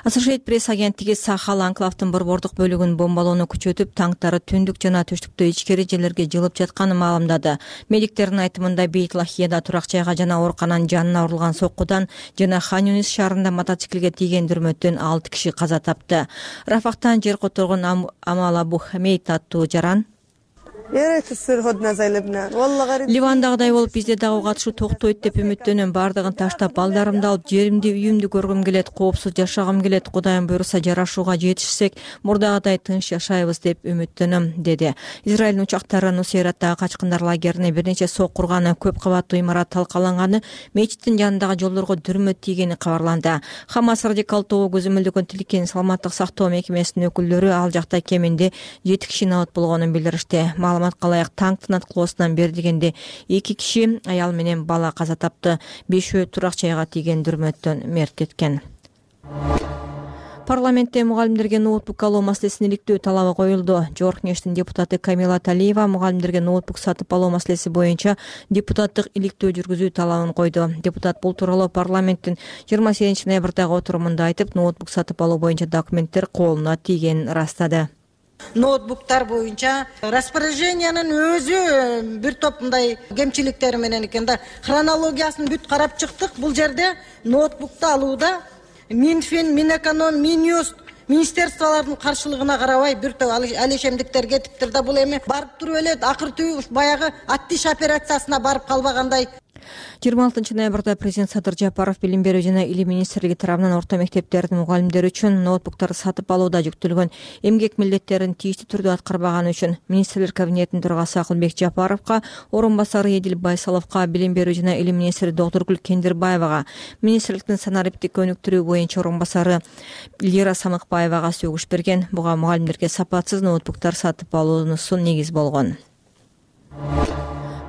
Associated Press агенттиги Сахал анклавдын борбордук бөлүгүн бомбалоону күчөтүп, танктары түндүк жана түштүктө ичкери жерлерге жылып жатканын маалымдады. Медиктердин айтымында Бейт Лахияда турак жайга жана оорукананын жанына урулган соккудан жана Хан Юнис шаарында мотоциклге тийген дүрмөттөн 6 киши каза тапты. Рафахтан жер которгон Амал Абу Хамейт аттуу жаран Ливандагыдай болуп бизде дагы катышуу токтойт деп үмүттөнөм. Бардыгын таштап, балдарымды алып, жеримди, үйүмдү көргүм келет, коопсуз жашагым келет. Кудайым буйруса жарашууга жетишсек, мурдагыдай тынч жашайбыз деп үмүттөнөм, деди. Израилдин учактары Нусейраттагы качкындар лагерине бир нече сок курганы, көп кабаттуу имарат талкаланганы, мечиттин жанындагы жолдорго дүрмөт тийгени кабарланды. Хамас радикал тобу көзөмөлдөгөн тилкенин саламаттык сактоо мекемесинин өкүлдөрү ал жакта кеминде 7 киши набыт болгонун билдиришти. Маалыматка ылайык танктын аткылоосунан бери дегенде 2 киши, аял менен бала каза тапты. 5өө турак жайга тийген дүрмөттөн мерт кеткен. Парламентте мугалимдерге ноутбук алуу маселесин иликтөө талабы коюлду. Жогорку кеңештин депутаты Камила Талиева мугалимдерге ноутбук сатып алуу маселеси боюнча депутаттык иликтөө жүргүзүү талабын койду. Депутат бул тууралуу парламенттин 28 ноябрдагы отурумунда айтып, ноутбук сатып алуу боюнча документтер колуна тийгенин ырастады. Ноутбуктар боюнча распоряжениянын өзү бир топ мындай кемчиликтери менен экен да. Хронологиясын бүт карап чыктык. Бул жерде ноутбукту алууда Минфин, Минэконом, Минюст министерстволордун каршылыгына карабай бир топ алешемдиктер кетиптир да. Бул эми барып туруп эле акыртуу баягы аттиш операциясына барып калбагандай. 26 ноябрда президент Садыр Жапаров билим берүү жана илим министрлиги тарабынан орто мектептердин мугалимдери үчүн ноутбуктарды сатып алууда жүктөлгөн эмгек милдеттерин тийиштүү түрдө аткарбаганы үчүн министрлер кабинетинин төрагасы Акылбек Жапаровго, орун басары Эдил Байсаловго, билим берүү жана илим министри Доктургүл Кендирбаевага, министрликтин санариптик өнүктүрүү боюнча орун басары Лира Самыкбаевага сөгүш берген. Буга мугалимдерге сапатсыз ноутбуктар сатып алуусу негиз болгон.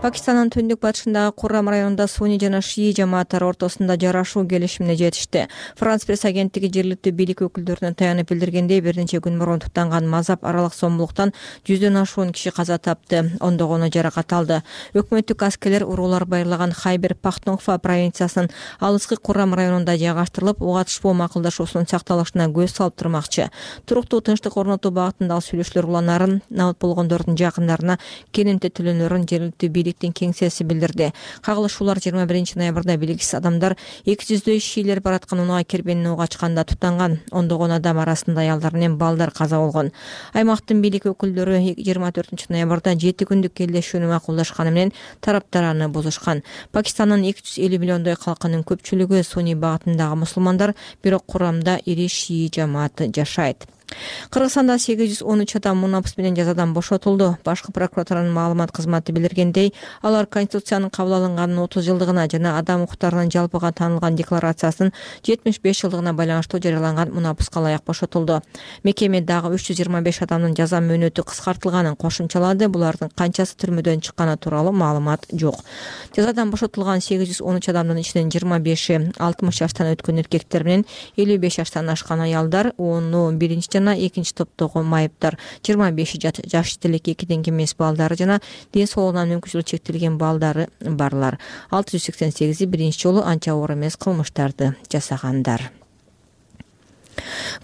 Пакистандын түндүк батышындагы Куррам районунда суний жана шии жамааттары ортосунда жарашуу келишимине жетишти. Франс пресс агенттиги жергиликтүү бийлик өкүлдөрүнө таянып билдиргендей, бир нече күн мурун туттанган мазап аралык сомбулуктан 100дөн ашуун киши каза тапты, ондогону жаракат алды. Өкмөттүк аскерлер уруулар байырлаган Хайбер Пахтунхва провинциясынын алыскы Куррам районунда жайгаштырылып, угатышпоо макулдашуусунун сакталышына көз салып турмакчы. Туруктуу тынчтык орнотуу багытында сүйлөшүүлөр уланарын, набыт болгондордун жакындарына кененте төлөнөрүн жергиликтүү бийлик кеңсеси билдирди. Кагылышуулар 21 ноябрда белгисиз адамдар 200дөй шиилер бараткан унаа кербенин ок ачканда туттанган. Ондогон адам арасында аялдар менен балдар каза болгон. Аймактын бийлик өкүлдөрү 24 ноябрда 7 күндүк келишүүнү макулдашканы менен тараптар аны бузушкан. Пакистандын 250 миллиондой калкынын көпчүлүгү суний багытындагы мусулмандар, бирок Курамда ири шии жамааты жашайт. Кыргызстанда 813 адам мунапыс менен жазадан бошотулду. Башкы прокуратуранын маалымат кызматы билдиргендей, алар Конституциянын кабыл алынганын 30 жылдыгына жана адам укуктарынын жалпыга таанылган декларациясынын 75 жылдыгына байланыштуу жарыяланган мунапыска ылайык бошотулду. Мекеме дагы 325 адамдын жаза мөөнөтү кыскартылганын кошумчалады. Булардын канчасы түрмөдөн чыкканы тууралуу маалымат жок. Жазадан бошотулган 813 адамдын ичинен 25-и 60 жаштан өткөн эркектер менен 55 жаштан ашкан аялдар, 10-у биринчи жана экинчи топтогу майыптар, 25 жаш делек 2ден кем эмес балдары жана ден соолугунан мүмкүнчүлүгү чектелген балдары барлар. 688 биринчи жолу анча оор эмес кылмыштарды жасагандар.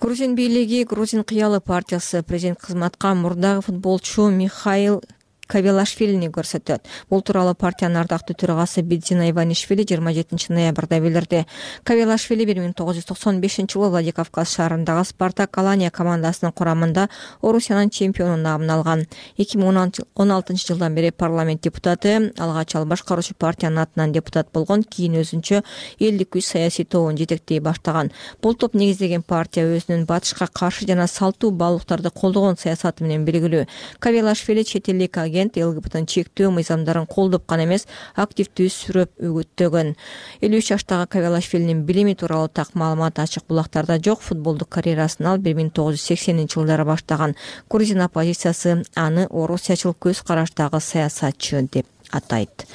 Грузин бийлиги Грузин кыялы партиясы президент кызматка мурдагы футболчу Михаил Кавелашвилини көрсөтөт. Бул тууралуу партиянын ардактуу төрагасы Бидзина Иванишвили 27 ноябрда билдирди. Кавелашвили 1995-жылы Владикавказ шаарындагы Спартак Алания командасынын курамында Орусиянын чемпиону наамын алган. 2016-жылдан бери парламент депутаты, алгач ал башкаруучу партиянын атынан депутат болгон, кийин өзүнчө элдик күч саясий тобун жетектей баштаган. Бул топ негиздеген партия өзүнүн батышка каршы жана салттуу баалуулуктарды колдогон саясаты менен белгилүү. Кавелашвили чет элдик ЛГБТ чектөө мыйзамдарын колдоп гана эмес, активдүү сүрөп үгүттөгөн. 53 жаштагы Кавелашвилинин билими тууралуу так маалымат ачык булактарда жок. Футболдук карьерасын ал 1980-жылдары баштаган. Грузин оппозициясы аны орусиячыл көз караштагы саясатчы деп атайт.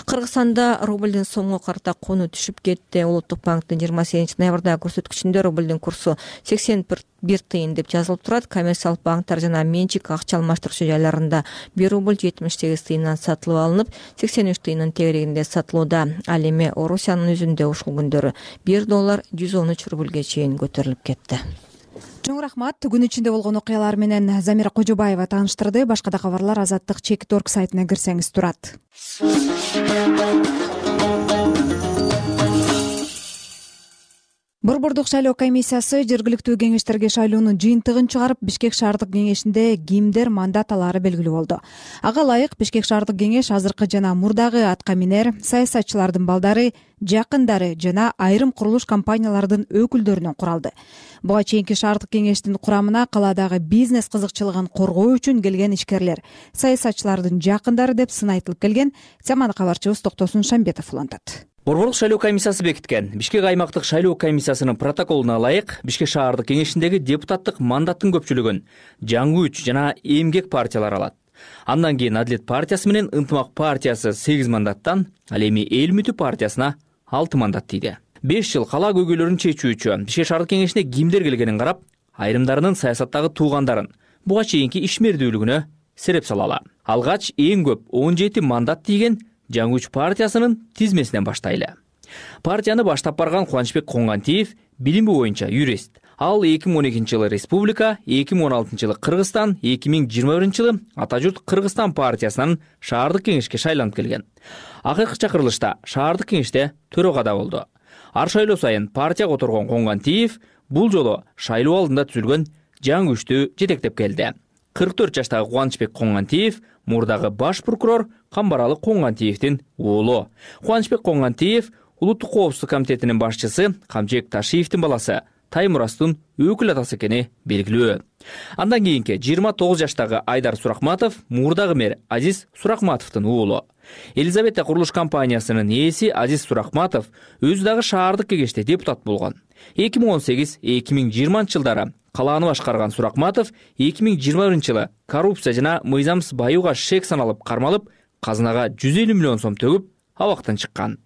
Кыргызстанда рублдун сомго карата кууну түшүп кетти. Улуттук банктын 28 ноябрда көрсөткүчүндө рублдун курсу 81 тыйын деп жазылып турат. Коммерциялык банктар жана менчик акча алмаштыруучу жайларында 1 рубль 78 тыйындан сатылып алынып, 83 тыйынын тегерегинде сатылууда. Ал эми Орусиянын өзүндө ушул күндөрү 1 доллар 113 рубльге чейин көтөрүлүп кетти. Чоң рахмат. Күн ичинде болгон окуялар менен Замира Кожобаева тааныштырды. Башка да кабарлар Азаттык Чекит.org сайтына кирсеңиз турат. Борбордук шайлоо комиссиясы жергиликтүү кеңештерге шайлоонун жыйынтыгын чыгарып, Бишкек шаардык кеңешинде кимдер мандат алаары белгилүү болду. Ага ылайык Бишкек шаардык кеңеш азыркы жана мурдагы атка минер, саясатчылардын балдары, жакындары жана айрым курулуш компаниялардын өкүлдөрүнөн куралды. Буга чейинки шаардык кеңештин курамына каладагы бизнес кызыкчылыгын коргоо үчүн келген ишкерлер, саясатчылардын жакындары деп сын айтылып келген. Теманы кабарчыбыз Токтосун Шамбетов улантат. Борборлук шайлоо комиссиясы бекиткен Бишкек аймактык шайлоо комиссиясынын протоколуна ылайык Бишкек шаардык кеңешиндеги депутаттык мандаттын көпчүлүгүн жаңы күч жана эмгек партиялар алат. Андан кийин Адилет партиясы менен Ынтымак партиясы 8 мандаттан, ал эми Эл үмүтү партиясына 6 мандат тийди. 5 жыл кала көйгөйлөрүн чечүүчү Бишкек шаардык кеңешине кимдер келгенин карап, айрымдарынын саясаттагы туугандарын, буга чейинки ишмердүүлүгүнө сереп салалы. Алгач эң көп 17 мандат тийген Жаңы күч партиясынын тизмесинен баштайлы. Партияны баштап барган Кубанычбек Коңгантиев билими боюнча юрист. Ал 2012-жылы Республика, 2016-жылы Кыргызстан, 2021-жылы Ата журт Кыргызстан партиясынын шаардык кеңешке шайланып келген. Акыркы чакырылышта шаардык кеңеште төрагада болду. Ар шайлоо сайын партия которгон Коңгантиев бул жолу шайлоо алдында түзүлгөн жаңы күчтү жетектеп келди. 44 жаштагы Кубанычбек Коңгантиев мурдагы баш прокурор Камбаралы Коңгантиевдин уулу. Кубанычбек Коңгантиев Улуттук коопсуздук комитетинин башчысы Камчек Ташиевдин баласы Таймурастын өкүл атасы экени белгилүү. Андан кийинки 29 жаштагы Айдар Суракматов мурдагы мэр Азиз Суракматовдун уулу. Елизавета курулуш компаниясынын ээси Азиз Суракматов өзү дагы шаардык кеңеште депутат болгон. 2018-2020 жылдары калааны башкарган Суракматов 2021-жылы коррупция жана мыйзамсыз баюуга шек саналып кармалып, казынага 150 миллион сом төгүп, абактан чыккан.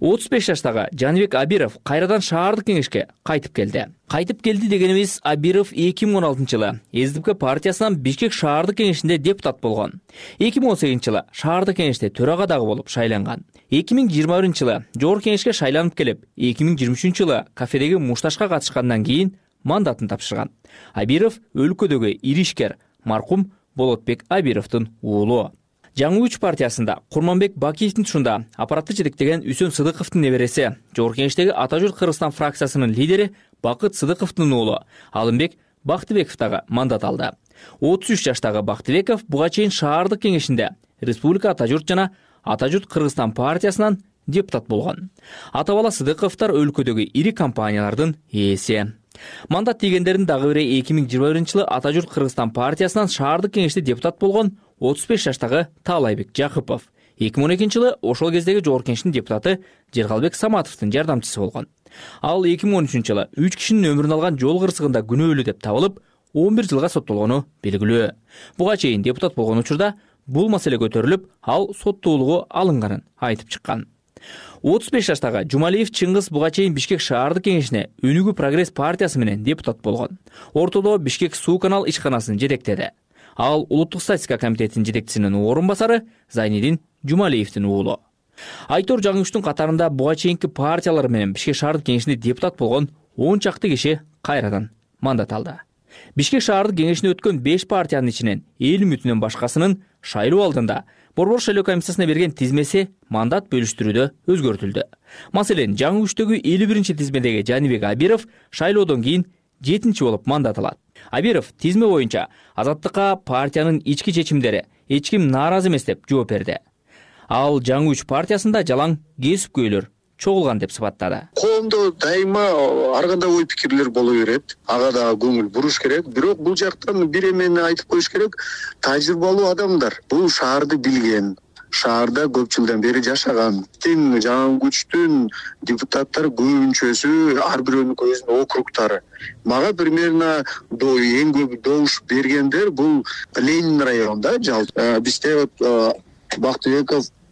35 жаштагы Жаныбек Абиров кайрадан шаардык кеңешке кайтып келди. Кайтып келди дегенибиз, Абиров 2016-жылы СДП партиясынан Бишкек шаардык кеңешинде депутат болгон. 2018-жылы шаардык кеңеште төрага дагы болуп шайланган. 2021-жылы жогорку кеңешке шайланып келип, 2023-жылы кафедеги мушташка катышкандан кийин мандатын тапшырган. Абиров өлкөдөгү ири ишкер маркум Болотбек Абировдун уулу. Жаңы күч партиясында Курманбек Бакиевдин тушунда аппаратты жетектеген Үсөн Сыдыковдун небереси, жогорку кеңештеги Ата журт Кыргызстан фракциясынын лидери Бакыт Сыдыковдун уулу Алымбек Бактыбеков дагы мандат алды. 33 жаштагы Бактыбеков буга чейин шаардык кеңешинде Республика Ата журт жана Ата журт Кыргызстан партиясынан депутат болгон. Ата бала Сыдыковдор өлкөдөгү ири компаниялардын ээси. Мандат тийгендердин дагы бири 2021-жылы Ата журт Кыргызстан партиясынан шаардык кеңеште депутат болгон 35 жаштагы Таалайбек Жакыпов. 2012-жылы ошол кездеги жогорку кеңештин депутаты Жергалбек Саматовдун жардамчысы болгон. Ал 2013-жылы 3 кишинин өмүрүн алган жол кырсыгында күнөөлүү деп табылып, 11 жылга соттолгону белгилүү. Буга чейин депутат болгон учурда бул маселе көтөрүлүп, ал соттуулугу алынганын айтып чыккан. 35 жаштагы Жумалиев Чыңгыз буга чейин Бишкек шаардык кеңешине Өнүгүү прогресс партиясы менен депутат болгон. Ортодо Бишкек суу канал ишканасын жетектеди. Ал Улуттук статистика комитетинин жетекчисинин орун басары Зайнидин Жумалиевдин уулу. Айтор Жаңычтун катарында буга чейинки партиялар менен Бишкек шаардык кеңешинде депутат болгон 10 чакты киши кайрадан мандат алды. Бишкек шаардык кеңешине өткөн 5 партиянын ичинен эл үмүтүнөн башкасынын шайлоо алдында Борбор шайлоо комиссиясына берген тизмеси мандат бөлүштүрүүдө өзгөртүлдү. Маселен, жаңы күчтөгү 51-чи тизмедеги Жанибек Абиров шайлоодон кийин 7-чи болуп мандат алат. Абиров тизме боюнча Азаттыкка партиянын ички чечимдери эч ким нааразы эмес деп жооп берди. Ал жаңы күч партиясында жалаң кесипкөйлөр чогулган деп сыпаттады. Коомдо дайыма ар кандай ой пикирлер боло берет. Ага да көңүл буруш керек. Бирок бул жактан бир эмени айтып коюш керек. Тажрыйбалуу адамдар бул шаарды билген, шаарда көп жылдан бери жашаган. Жаңы күчтүн депутаттары көбүнчөсү ар бирөөнүн өзүнүн округтары. Мага примерно эң көп добуш бергендер бул Ленин районунда жалпы. Бизде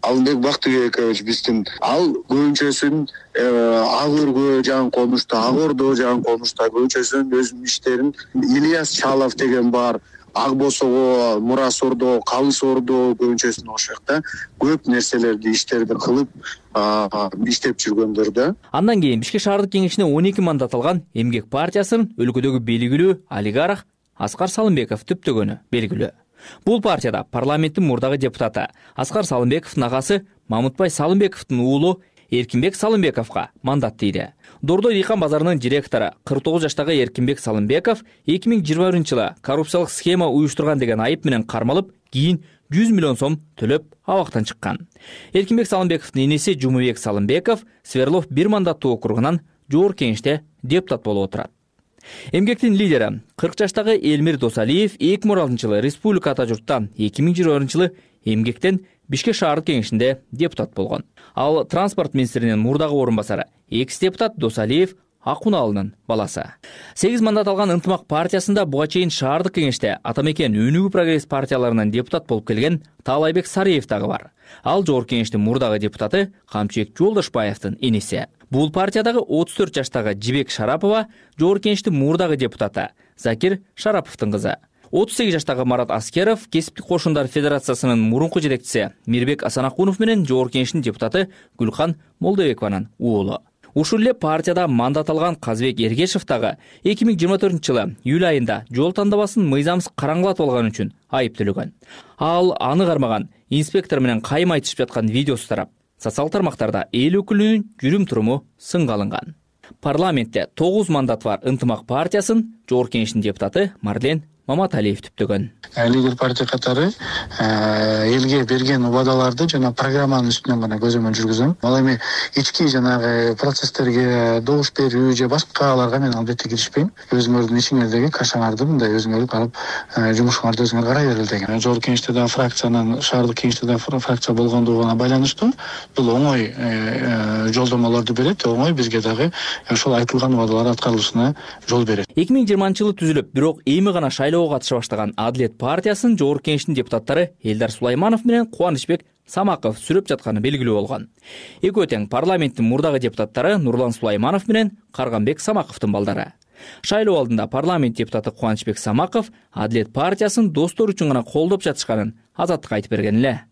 Алымбек Бактыбекович биздин ал көбүнчөсүн Ак өргө жакын конушта, Ак Ордо жакын конушта көбүнчөсүнүн өзүнүн иштерин Ильяс Чалов деген бар. Ак Босого, Мурас Ордо, Калыс Ордо көбүнчөсүн ошокта көп нерселерди иштерди кылып иштеп жүргөндөр да. Андан кийин Бишкек шаардык кеңешине 12 мандат алган Эмгек партиясынын өлкөдөгү белгилүү олигарх Аскар Салымбеков түптөгөнү белгилүү. Бул партияда парламенттин мурдагы депутаты Аскар Салымбековдун агасы Мамытбай Салымбековдун уулу Эркинбек Салымбековго мандат тийди. Дордой дыйкан базарынын директору 49 жаштагы Эркинбек Салымбеков 2021-жылы коррупциялык схема уюштурган деген айып менен кармалып, кийин 100 миллион сом төлөп абактан чыккан. Эркинбек Салымбековдун энеси Жумабек Салымбеков Сверлов 1 мандаттуу округунан жогорку кеңеште депутат болуп отурат. Эмгектин лидери 40 жаштагы Элмир Досалиев 2016-жылы Республика Ата журттан 2020-жылы Эмгектен Бишкек шаардык кеңешинде депутат болгон. Ал транспорт министринин мурдагы орун басары, экс-депутат Досалиев Акуналынын баласы. 8 мандат алган Ынтымак партиясында буга чейин шаардык кеңеште Ата мекен Өнүгүү прогресс партияларынан депутат болуп келген Таалайбек Сариев дагы бар. Ал жогорку кеңештин мурдагы депутаты Камчыбек Жолдошбаевдин энеси. Бул партиядагы 34 жаштагы Жибек Шарапова жогорку кеңештин мурдагы депутаты Закир Шараповдун кызы. 38 жаштагы Марат Аскеров Кесиптик кошундар федерациясынын мурунку жетекчиси Мирбек Асанакунов менен жогорку кеңештин депутаты Гүлкан Молдобекованын уулу. Ушул эле партияда мандат алган Казбек Эргешев дагы 2024-жылы июль айында жол тандабасын мыйзамсыз караңгылатып алган үчүн айыптөлгөн. Ал аны кармаган инспектор менен кайым айтышып жаткан видеосу тарап, социалдык тармактарда эл өкүлүнүн жүрүм-туруму сынга алынган. Парламентте 9 мандат бар Ынтымак партиясын жогорку кеңештин депутаты Марлен Маматалиев түптөгөн. Лидер партия катары элге берген убадаларды жана программанын үстүнөн гана көзөмөл жүргүзөм. Ал эми ички жанагы процесстерге добуш берүү же башкаларга мен албетте киришпейм. Өзүңөрдүн ичиңердеги кашаңарды мындай өзүңөр барып жумушуңарды өзүңөр карай берели деген. Жогорку кеңеште да фракциянын, шаардык кеңеште да фракция болгондугуна байланыштуу бул оңой жолдомолорду берет, оңой бизге дагы ошол айтылган убадалар аткарылышына жол берет. 2020-жылы түзүлүп, бирок эми гана шайлоого катыша баштаган Адилет партиясынын жогорку кеңештин депутаттары Элдар Сулайманов менен Кубанычбек Самаков сүрөп жатканы белгилүү болгон. Экөө тең парламенттин мурдагы депутаттары Нурлан Сулайманов менен Карганбек Самаковдун балдары. Шайлоо алдында парламент депутаты Кубанычбек Самаков Адилет партиясын достор үчүн гана колдоп жатышканын Азаттыкка айтып берген эле.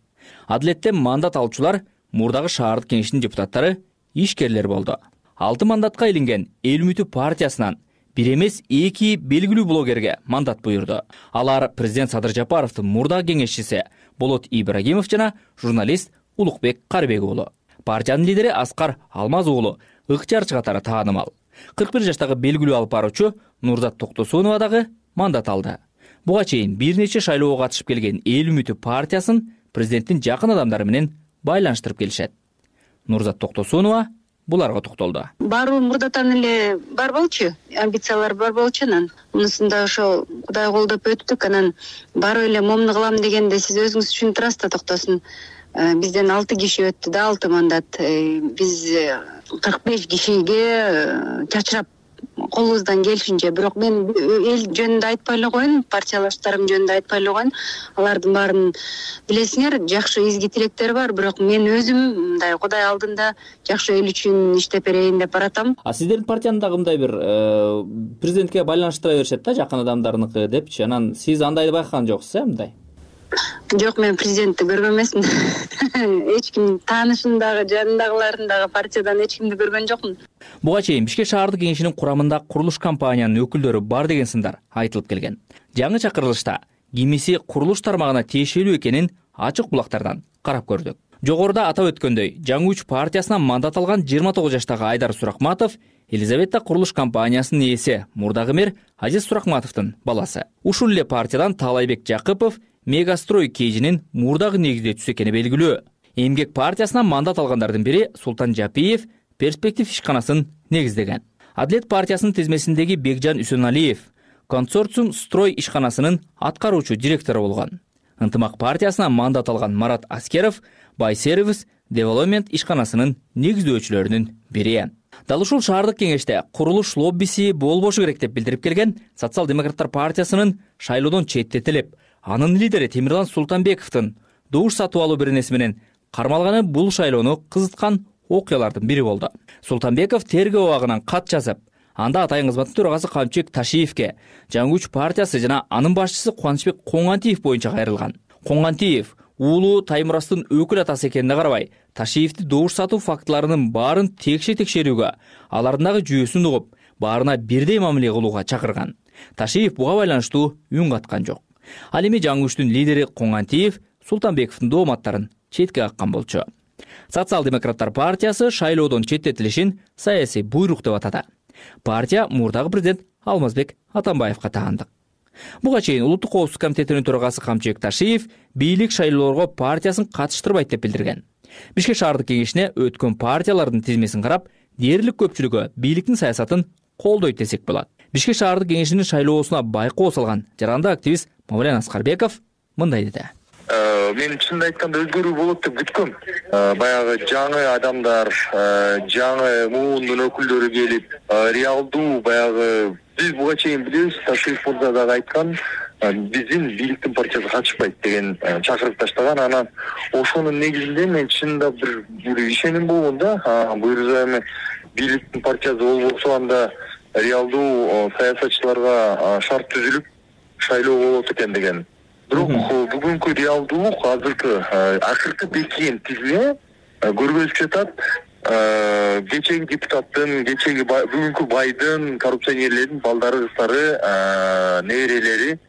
Адилеттен мандат алуучулар мурдагы шаардык кеңештин депутаттары ишкерлер болду. 6 мандатка илинген Эл үмүтү партиясынан бир эмес 2 белгилүү блогерге мандат буйрду. Алар президент Садыр Жапаровдун мурдагы кеңешчиси Болот Ибрагимов жана журналист Улукбек Карбек уулу. Партиянын лидери Аскар Алмаз уулу ыкчарчы катары таанымал. 41 жаштагы белгилүү алып баруучу Нурзат Токтосунова дагы мандат алды. Буга чейин бир нече шайлоого катышып келген Эл үмүтү партиясын президенттин жакын адамдары менен байланыштырып келишет. Нурзат Токтосунова буларга токтолду. Баары мурдатан эле бар болчу, амбициялар бар болчу, анан мунусунда ошо Кудай колдоп өттүк, анан барып эле момуну кылам дегенде сиз өзүңүз түшүнүп турасыз да, токтосун. Бизден 6 киши өттү да, 6 мандат. Биз 45 кишиге чачырап колубуздан келишинче, бирок мен эл жөнүндө айтпай эле коеюн, партиялаштарым жөнүндө айтпай эле коеюн. Алардын баарын билесиңер, жакшы изги тилектери бар, бирок мен өзүм мындай Кудай алдында жакшы эл үчүн иштеп берейин деп баратам. Сиздердин партияны дагы мындай бир президентке байланыштыра беришет да, жакын адамдарыныкы депчи. Анан сиз андайды байкаган жоксуз, мындай? Жок, мен президентти көргөн эмесмин. Эч ким таанышым дагы, жанындагылардын дагы партиядан эч кимди көргөн жокмун. Буга чейин Бишкек шаардык кеңешинин курамында курулуш компаниянын өкүлдөрү бар деген сындар айтылып келген. Жаңы чакырылышта кимиси курулуш тармагына тиешелүү экенин ачык булактардан карап көрдүк. Жогоруда атап өткөндөй, Жаңы Үч партиясынан мандат алган 29 жаштагы Айдар Суракматов Елизавета курулуш компаниясынын ээси, мурдагы мэр Азиз Суракматовдун баласы. Ушул эле партиядан Таалайбек Жакыпов Мегастрой кейжинин мурдагы негиздөөчүсү экени белгилүү. Эмгек партиясынан мандат алгандардын бири Султан Жапиев Перспектив ишканасын негиздеген. Адилет партиясынын тизмесиндеги Бекжан Үсөналиев Консорциум Строй ишканасынын аткаруучу директору болгон. Ынтымак партиясынан мандат алган Марат Аскеров Байсервис Девелопмент ишканасынын негиздөөчүлөрүнүн бири. Дал ушул шаардык кеңеште курулуш лоббиси болбошу керек деп билдирип келген Социал-демократтар партиясынын шайлоодон четтетилип, анын лидери Темирлан Султанбековдун добуш сатып алуу беренеси менен кармалганы бул шайлоону кызыткан окуялардын бири болду. Султанбеков тергөө абагынан кат жазып, анда атайын кызматтын төрагасы Камчыбек Ташиевке Жаңы Үч партиясы жана анын башчысы Кубанычбек Коңгантиев боюнча кайрылган. Коңгантиев уулу Таймурастын өкүл атасы экенине карабай, Ташиевди добуш сатуу фактыларынын баарын текшерүүгө, алардын дагы жүйөсүн угуп, баарына бирдей мамиле кылууга чакырган. Ташиев буга байланыштуу үн каткан жок. Ал эми Жаңы Үчтүн лидери Коңгантиев Султанбековдун дооматтарын четке каккан болчу. Социал-демократтар партиясы шайлоодон четтетилишин саясий буйрук деп атады. Партия мурдагы президент Алмазбек Атамбаевга таандык. Буга чейин Улуттук коопсуздук комитетинин төрагасы Камчыбек Ташиев бийлик шайлоолорго партиясын катыштырбайт деп билдирген. Бишкек шаардык кеңешине өткөн партиялардын тизмесин карап, дээрлик көпчүлүгү бийликтин саясатын колдойт десек болот. Бишкек шаардык кеңешинин шайлоосуна байкоо салган жаранды активист Мавлен Аскарбеков мындай деди. Мен чынын айтканда өзгөрүү болот деп күткөм. Баягы жаңы адамдар, жаңы муундун өкүлдөрү келип, реалдуу баягы биз буга чейин билебиз, Ташиев мырза дагы айткан, биздин бийликтин партиясы качпайт деген чакырып таштаган. Анан ошонун негизинде мен чынында бир ишеним болгон да, буюрса эми бийликтин партиясы болбосо анда реалдуу саясатчыларга шарт түзүлүп шайлоо болот экен деген. Бирок бүгүнкү реалдуулук азыркы акыркы бекиген тизме көргөзүп жатат. Кечеги депутаттын, кечеги бүгүнкү байдын, коррупционерлердин балдары, кыздары, неберелери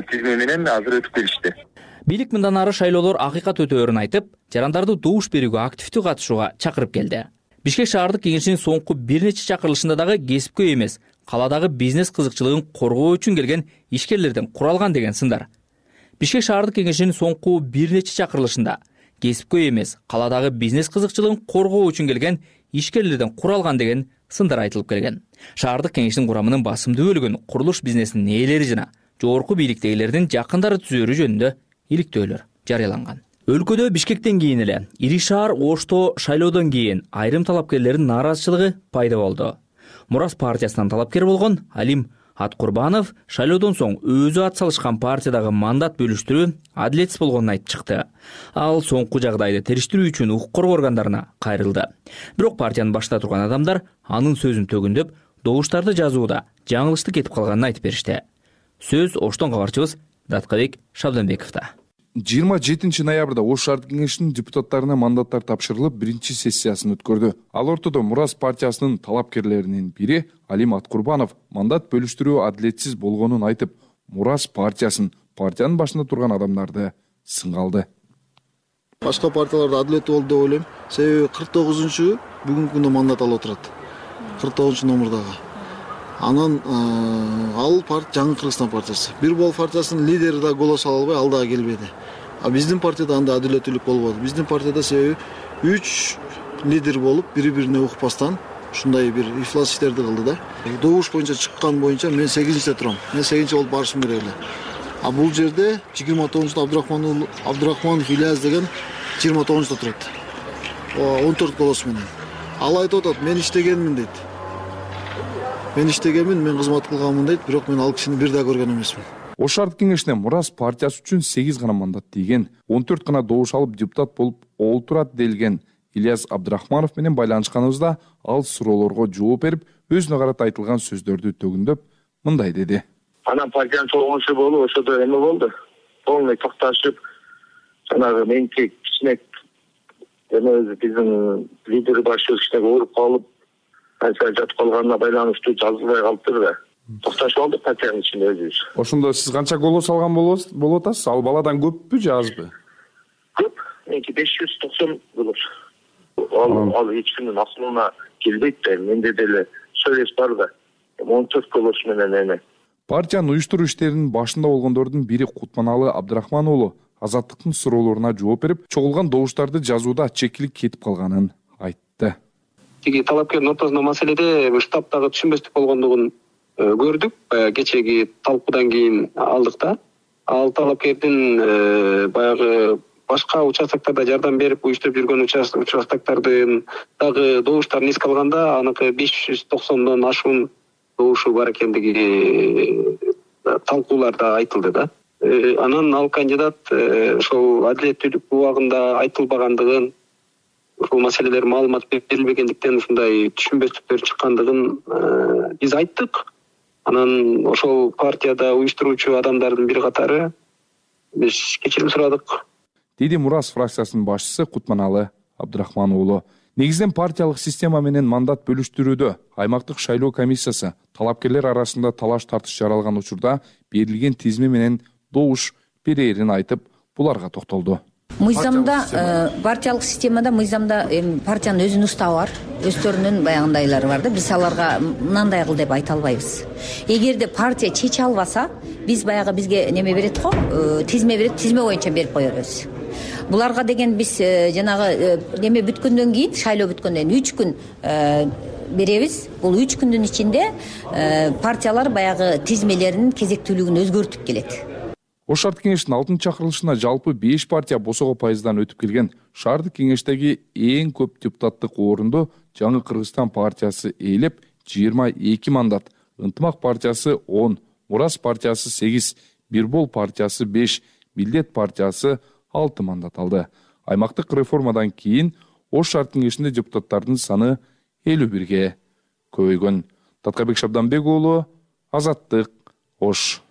тизме менен азыр өтүп келишти. Бийлик мындан ары шайлоолор акыйкат өтөөрүн айтып, жарандарды добуш берүүгө активдүү катышууга чакырып келди. Бишкек шаардык кеңешинин соңку бир нече чакырылышында дагы кесипкөй эмес, каладагы бизнес кызыкчылыгын коргоо үчүн келген ишкерлерден куралган деген сындар. Бишкек шаардык кеңешинин соңку бир нече чакырылышында кесипкөй эмес, каладагы бизнес кызыкчылыгын коргоо үчүн келген ишкерлерден куралган деген сындар айтылып келген. Шаардык кеңештин курамынын басымдуу бөлүгүн курулуш бизнесинин ээлери жана жогорку бийликтегилердин жакындары түзөөрү жөнүндө иликтөөлөр жарыяланган. Өлкөдө Бишкектен кийин эле ири шаар Ошто шайлоодон кийин айрым талапкерлердин нааразычылыгы пайда болду. Мурас партиясынан талапкер болгон Алим Аткурбанов шайлоодон соң өзү ат салышкан партиядагы мандат бөлүштүрүү адилетсиз болгонун айтып чыкты. Ал соңку жагдайды териштирүү үчүн укук коргоо органдарына кайрылды. Бирок партиянын башында турган адамдар анын сөзүн төгүндөп, добуштарды жазууда жаңылыштык кетип калганын айтып беришти. Сөз Оштон кабарчыбыз Даткабек Шабданбековдо. 27 ноябрда Ош шаардык кеңешинин депутаттарына мандаттар тапшырылып, биринчи сессиясын өткөрдү. Ал ортодо Мурас партиясынын талапкерлеринин бири Алим Аткурбанов мандат бөлүштүрүү адилетсиз болгонун айтып, Мурас партиясын, партиянын башында турган адамдарды сынга алды. Башка партияларда адилеттүү болду деп ойлойм. Себеби 49-чу бүгүнкү күндө мандат алып отурат. 49-чу номурдагы. Анан ал жаңы Кыргызстан партиясы. Бир бол партиясынын лидери да голос ала албай, ал дагы келбеди. А биздин партияда анда адилеттүүлүк болбоду. Биздин партияда себеби 3 лидер болуп бири бирине укпастан ушундай бир ифлас иштерди кылды да. Добуш боюнча чыккан боюнча мен 8-те турам. Мен 8 болуп барышым керек эле. А бул жерде 29-да Абдрахманов Ильяс деген 29-да турат. 14 голос менен. Ал айтып атат, мен иштегенмин дейт. Мен иштегенмин, мен кызмат кылганмын дейт, бирок мен ал кишини бир да көргөн эмесмин. Ош шаардык кеңешине Мурас партиясы үчүн 8 гана мандат тийген, 14 гана добуш алып депутат болуп олтурат делген Ильяс Абдрахманов менен байланышканыбызда ал суроолорго жооп берип, өзүнө карата айтылган сөздөрдү төгүндөп мындай деди. Анан партиянын чогулушу болуп, ошодо эме болду. Полный токташып, жанагы меники кичине биздин лидер башчыбыз кичине ооруп калып, канча жатып калганына байланыштуу жазылбай калыптыр да. Токташып алдык партиянын ичинде өзүбүз. Ошондо сиз канча голос алган болуп атасыз? Ал баладан көппү же азбы? Көп. Меники 590 голос. Ал эч кимдин акылына келбейт да. Менде деле сөз бар да. 14 голос менен эме. Партиянын уюштуруу иштеринин башында болгондордун бири Кутманалы Абдрахман уулу Азаттыктын суроолоруна жооп берип, чогулган добуштарды жазууда чекилик кетип калганын айтты. Тиги талапкердин ортосунда маселеде штабтагы түшүнбөстүк болгондугун көрдүк. Кечеги талкуудан кийин алдык да. Ал талапкердин баягы башка участоктарда жардам берип уюштуруп жүргөн участоктардын дагы добуштарын эске алганда, аныкы 590дон ашуун добушу бар экендиги талкууларда айтылды да. Анан ал кандидат ошол адилеттүүлүк убагында айтылбагандыгын, ушул маселелер маалымат берилбегендиктен ушундай түшүнбөстүктөр чыккандыгын биз айттык. Анан ошол партияда уюштуруучу адамдардын бир катары биз кечирим сурадык. Деди Мурас фракциясынын башчысы Кутманалы Абдрахман уулу. Негизинен партиялык система менен мандат бөлүштүрүүдө аймактык шайлоо комиссиясы талапкерлер арасында талаш тартыш жаралган учурда берилген тизме менен добуш берээрин айтып, буларга токтолду. Мыйзамда партиялык системада партиянын өзүнүн уставы бар, өздөрүнүн баягындайлары бар да. Биз аларга мындай кыл деп айта албайбыз. Эгерде партия чече албаса, биз баягы бизге неме берет го, тизме берет, тизме боюнча берип коебуз. Буларга деген биз жанагы неме бүткөндөн кийин, шайлоо бүткөндөн кийин 3 күн беребиз. Бул 3 күндүн ичинде партиялар баягы тизмелеринин кезектүүлүгүн өзгөртүп келет. Ош шаардык кеңештин 6-чакырылышына жалпы 5 партия босого пайыздан өтүп келген. Шаардык кеңештеги эң көп депутаттык орунду Жаңы Кыргызстан партиясы ээлеп 22 мандат, Ынтымак партиясы 10, Мурас партиясы 8, Бирбол партиясы 5, Милдет партиясы 6 мандат алды. Аймактык реформадан кийин Ош шаардык кеңешинде депутаттардын саны 51ге көбөйгөн. Таткабек Шабданбек уулу, Азаттык, Ош.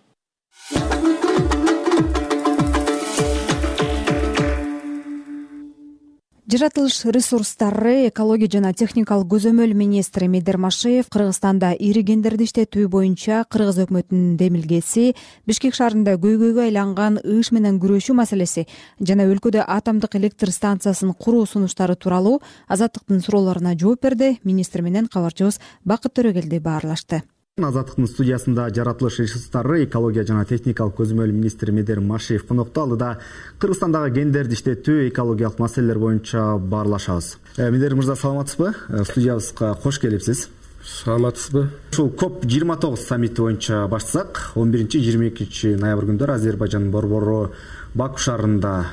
Жаратылыш ресурстары, экология жана техникалык көзөмөл министри Медер Машеев Кыргызстанда ири кендерди иштетүү боюнча кыргыз өкмөтүнүн демилгеси, Бишкек шаарында көйгөйгө айланган ыш менен күрөшүү маселеси жана өлкөдө атомдук электр станциясын куруу сунуштары тууралуу Азаттыктын суроолоруна жооп берди. Министр менен кабарчыбыз Бакыт Төрөгелди баарлашты. Азаттыктын студиясында жаратылыш ресурстары, экология жана техникалык көзөмөл министри Медер Машеев конокто. Ал да Кыргызстандагы кендерди иштетүү, экологиялык маселелер боюнча баарлашабыз. Медер мырза, саламатсызбы? Студиябызга кош келипсиз. Саламатсызбы? Ушул COP29 саммити боюнча баштасак, 11-22 ноябрь күндөрү Азербайжандын борбору Баку шаарында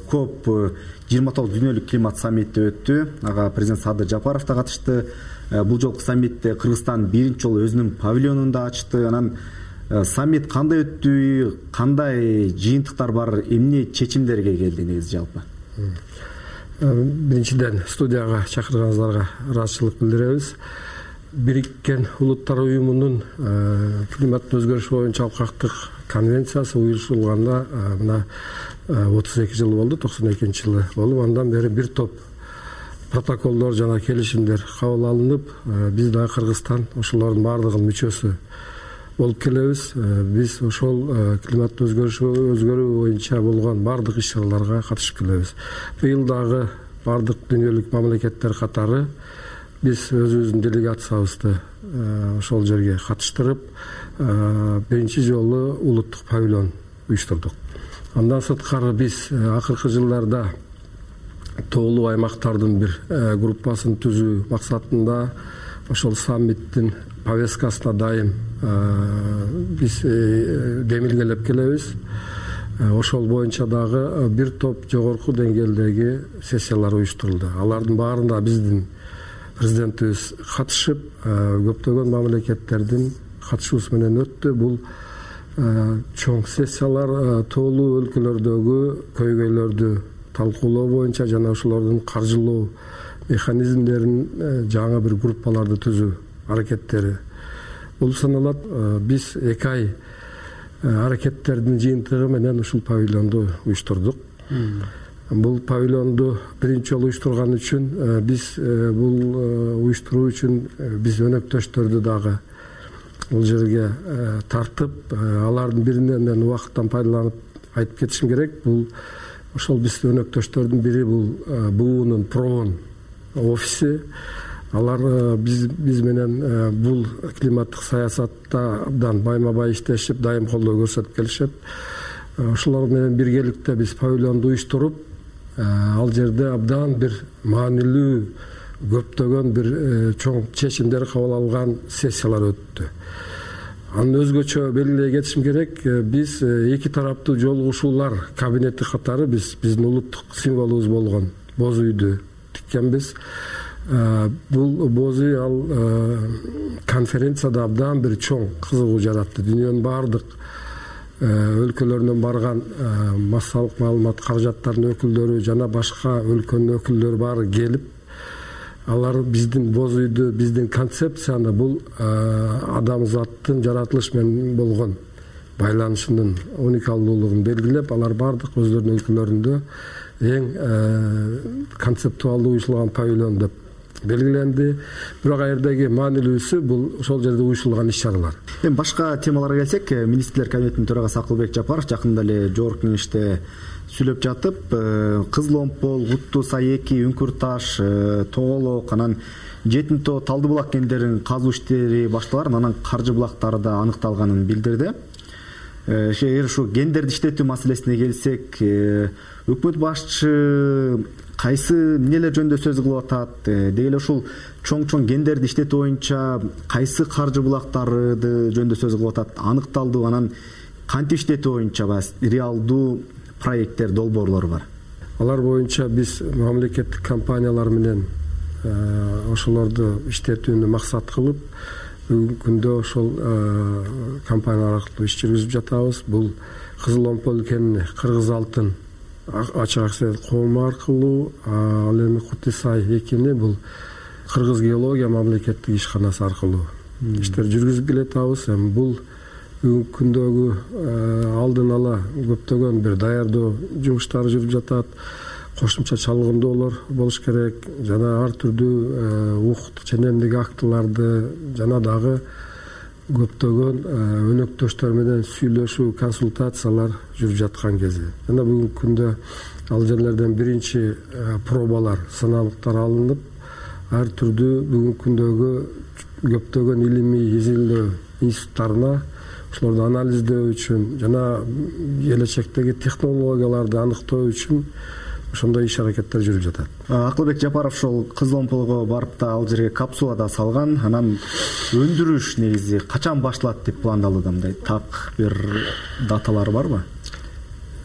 COP29 дүйнөлүк климат саммити өттү. Ага президент Садыр Жапаров да катышты. Бул жолку саммитте Кыргызстан биринчи жолу өзүнүн павильонун да ачты. Анан саммит кандай өттү, кандай жыйынтыктар бар, эмне чечимдерге келди негизи жалпы? Биринчиден студияга чакырганыңыздарга ыраазычылык билдиребиз. Бириккен Улуттар уюмунун климаттын өзгөрүшү боюнча алкактык конвенциясы уюшурулганда мына 32 жыл болду, 92-жылы болуп, андан бери бир топ протоколдор жана келишимдер кабыл алынып, биз да Кыргызстан ошолордун баардыгынын мүчөсү болуп келебиз. Биз ошол климаттын өзгөрүү боюнча болгон баардык иш-чараларга катышып келебиз. Быйыл дагы баардык дүйнөлүк мамлекеттер катары биз өзүбүздүн делегациябызды ошол жерге катыштырып, биринчи жолу улуттук павильон уюштурдук. Андан сырткары биз акыркы жылдарда тоолуу аймактардын бир группасын түзүү максатында ошол саммиттин повесткасына дайым биз демилгелеп келебиз. Ошол боюнча дагы бир топ жогорку деңгээлдеги сессиялар уюштурулду. Алардын баарында биздин президентибиз катышып, көптөгөн мамлекеттердин катышуусу менен өттү. Бул чоң сессиялар тоолуу өлкөлөрдөгү көйгөйлөрдү талкуулоо боюнча жана ошолордун каржылоо механизмдерин жаңы бир группаларды түзүү аракеттери болуп саналат. Биз 2 ай аракеттердин жыйынтыгы менен ушул павильонду уюштурдук. Бул павильонду биринчи жолу уюштурган үчүн биз бул уюштуруу үчүн биз өнөктөштөрдү дагы бул жерге тартып, алардын биринен мен убакыттан пайдаланып айтып кетишим керек. Бул ошол биз өнөктөштөрдүн бири бул буунун Проон офиси. Алар биз менен бул климаттык саясатта абдан байма-бай иштешип, дайым колдоо көрсөтүп келишет. Ошолор менен биргеликте биз павильонду уюштуруп, ал жерде абдан бир маанилүү көптөгөн бир чоң чечимдер кабыл алган сессиялар өттү. Аны өзгөчө белгилей кетишим керек. Биз 2 тараптуу жолугушуулар кабинети катары биздин улуттук символубуз болгон боз үйдү тиккенбиз. Бул боз үй ал конференцияда абдан бир чоң кызыгуу жаратты. Дүйнөнүн баардык өлкөлөрүнөн барган массалык маалымат каражаттарынын өкүлдөрү жана башка өлкөнүн өкүлдөрү баары келип, алар биздин боз үйдү, биздин концепцияны, бул адамзаттын жаратылыш менен болгон байланышынын уникалдуулугун белгилеп, алар баардык өздөрүнүн өлкөлөрүндө эң концептуалдуу уюшулган павильон деп белгиленди. Бирок аердеги маанилүүсү бул ошол жерде уюшулган иш-чаралар. Эми башка темаларга келсек, министрлер кабинетинин төрагасы Акылбек Жапаров жакында эле жогорку кеңеште сүйлөп жатып, Кызыл Омпол, Куттуу Сай 2, Үңкүр Таш, Тоголок, анан Жетин Тоо, Талды булак кендерин казуу иштери башталар, анан каржы булактары да аныкталганын билдирди. Эгер ушу гендерди иштетүү маселесине келсек, өкмөт башчы кайсы эмнелер жөнүндө сөз кылып атат, деги эле ушул чоң гендерди иштетүү боюнча кайсы каржы булактары жөнүндө сөз кылып атат, аныкталды, анан кантип иштетүү боюнча реалдуу проекттер, долбоорлор бар. Алар боюнча биз мамлекеттик компаниялар менен ошолорду иштетүүнү максат кылып, бүгүнкү күндө ошол компаниялар аркылуу иш жүргүзүп жатабыз. Бул Кызыл Омпол кенини Кыргыз Алтын ачык акциялык коому аркылуу, ал эми Куттуу Сай 2-ни бул Кыргыз геология мамлекеттик ишканасы аркылуу иштер жүргүзүп келатабыз. Эми бул бүгүнкү күндөгү алдын ала көптөгөн бир даярдоо жумуштары жүрүп жатат. Кошумча чалгындоолор болуш керек, жана ар түрдүү укуктук ченемдик актыларды жана дагы көптөгөн өнөктөштөр менен сүйлөшүү, консультациялар жүрүп жаткан кези. Жана бүгүнкү күндө ал жерлерден биринчи пробалар, сыналыктар алынып, ар түрдүү бүгүнкү күндөгү көптөгөн илимий изилдөө институттарына ошолорду анализдөө үчүн жана келечектеги технологияларды аныктоо үчүн ошондой иш-аракеттер жүрүп жатат. Акылбек Жапаров ошол Кызыл Омполго барып да ал жерге капсула да салган. Анан өндүрүш негизи качан башталат деп пландалды, мындай так бир даталары барбы?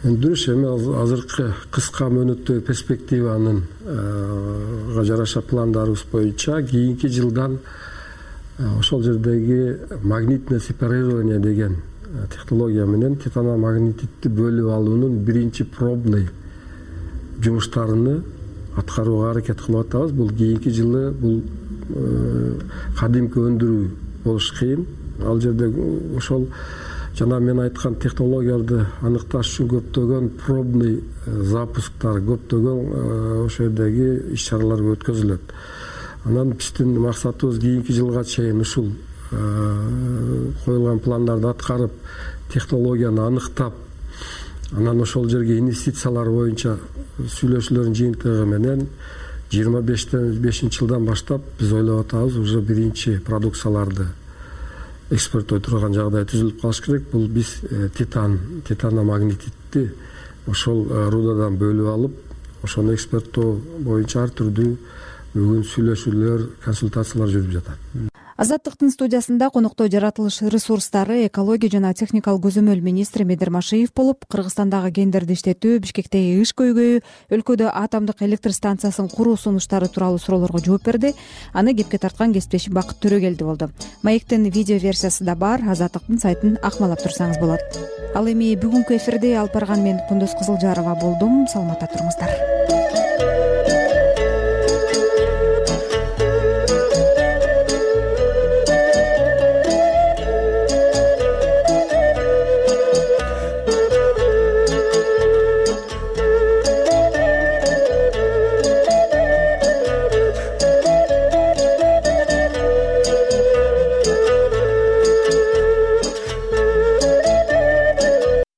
Өндүрүш эми азыркы кыска мөөнөттөгү перспективанын жараша пландарыбыз боюнча кийинки жылдан ошол жердеги магнитное сепарирование деген технология менен титаномагнетитти бөлүп алуунун биринчи пробный жумуштарыны аткарууга аракет кылып атабыз. Бул кийинки жылы бул кадимки өндүрүү болуш кыйын. Ал жерде ошол жана мен айткан технологияларды аныкташ үчүн көптөгөн пробный запусктар, көптөгөн ошол жердеги иш-чаралар өткөзүлөт. Анан биздин максатыбыз кийинки жылга чейин ушул коюлган пландарды аткарып, технологияны аныктап, анан ошол жерге инвестициялар боюнча сүйлөшүүлөрдүн жыйынтыгы менен 25 жылдан баштап биз ойлоп атабыз, уже биринчи продукцияларды экспорттой турган жагдай түзүлүп калыш керек. Бул биз титаномагнетитти ошол рудадан бөлүп алып, ошону эксперттоо боюнча ар түрдүү бүгүн сүйлөшүүлөр, консультациялар жүрүп жатат. Азаттыктын студиясында конокто жаратылыш ресурстары, экология жана техникалык көзөмөл министри Медер Машиев болуп, Кыргызстандагы кендерди иштетүү, Бишкектеги иш көйгөйү, өлкөдө атомдук электр станциясын куруу сунуштары тууралуу суроолорго жооп берди. Аны кепке тарткан кесиптешим Бакыт Төрөгелди болду. Маектин видео версиясы да бар, Азаттыктын сайтын акмалап турсаңыз болот. Ал эми бүгүнкү эфирде алып барган мен Кундуз Кызылжарова болдум. Саламатта туруңуздар.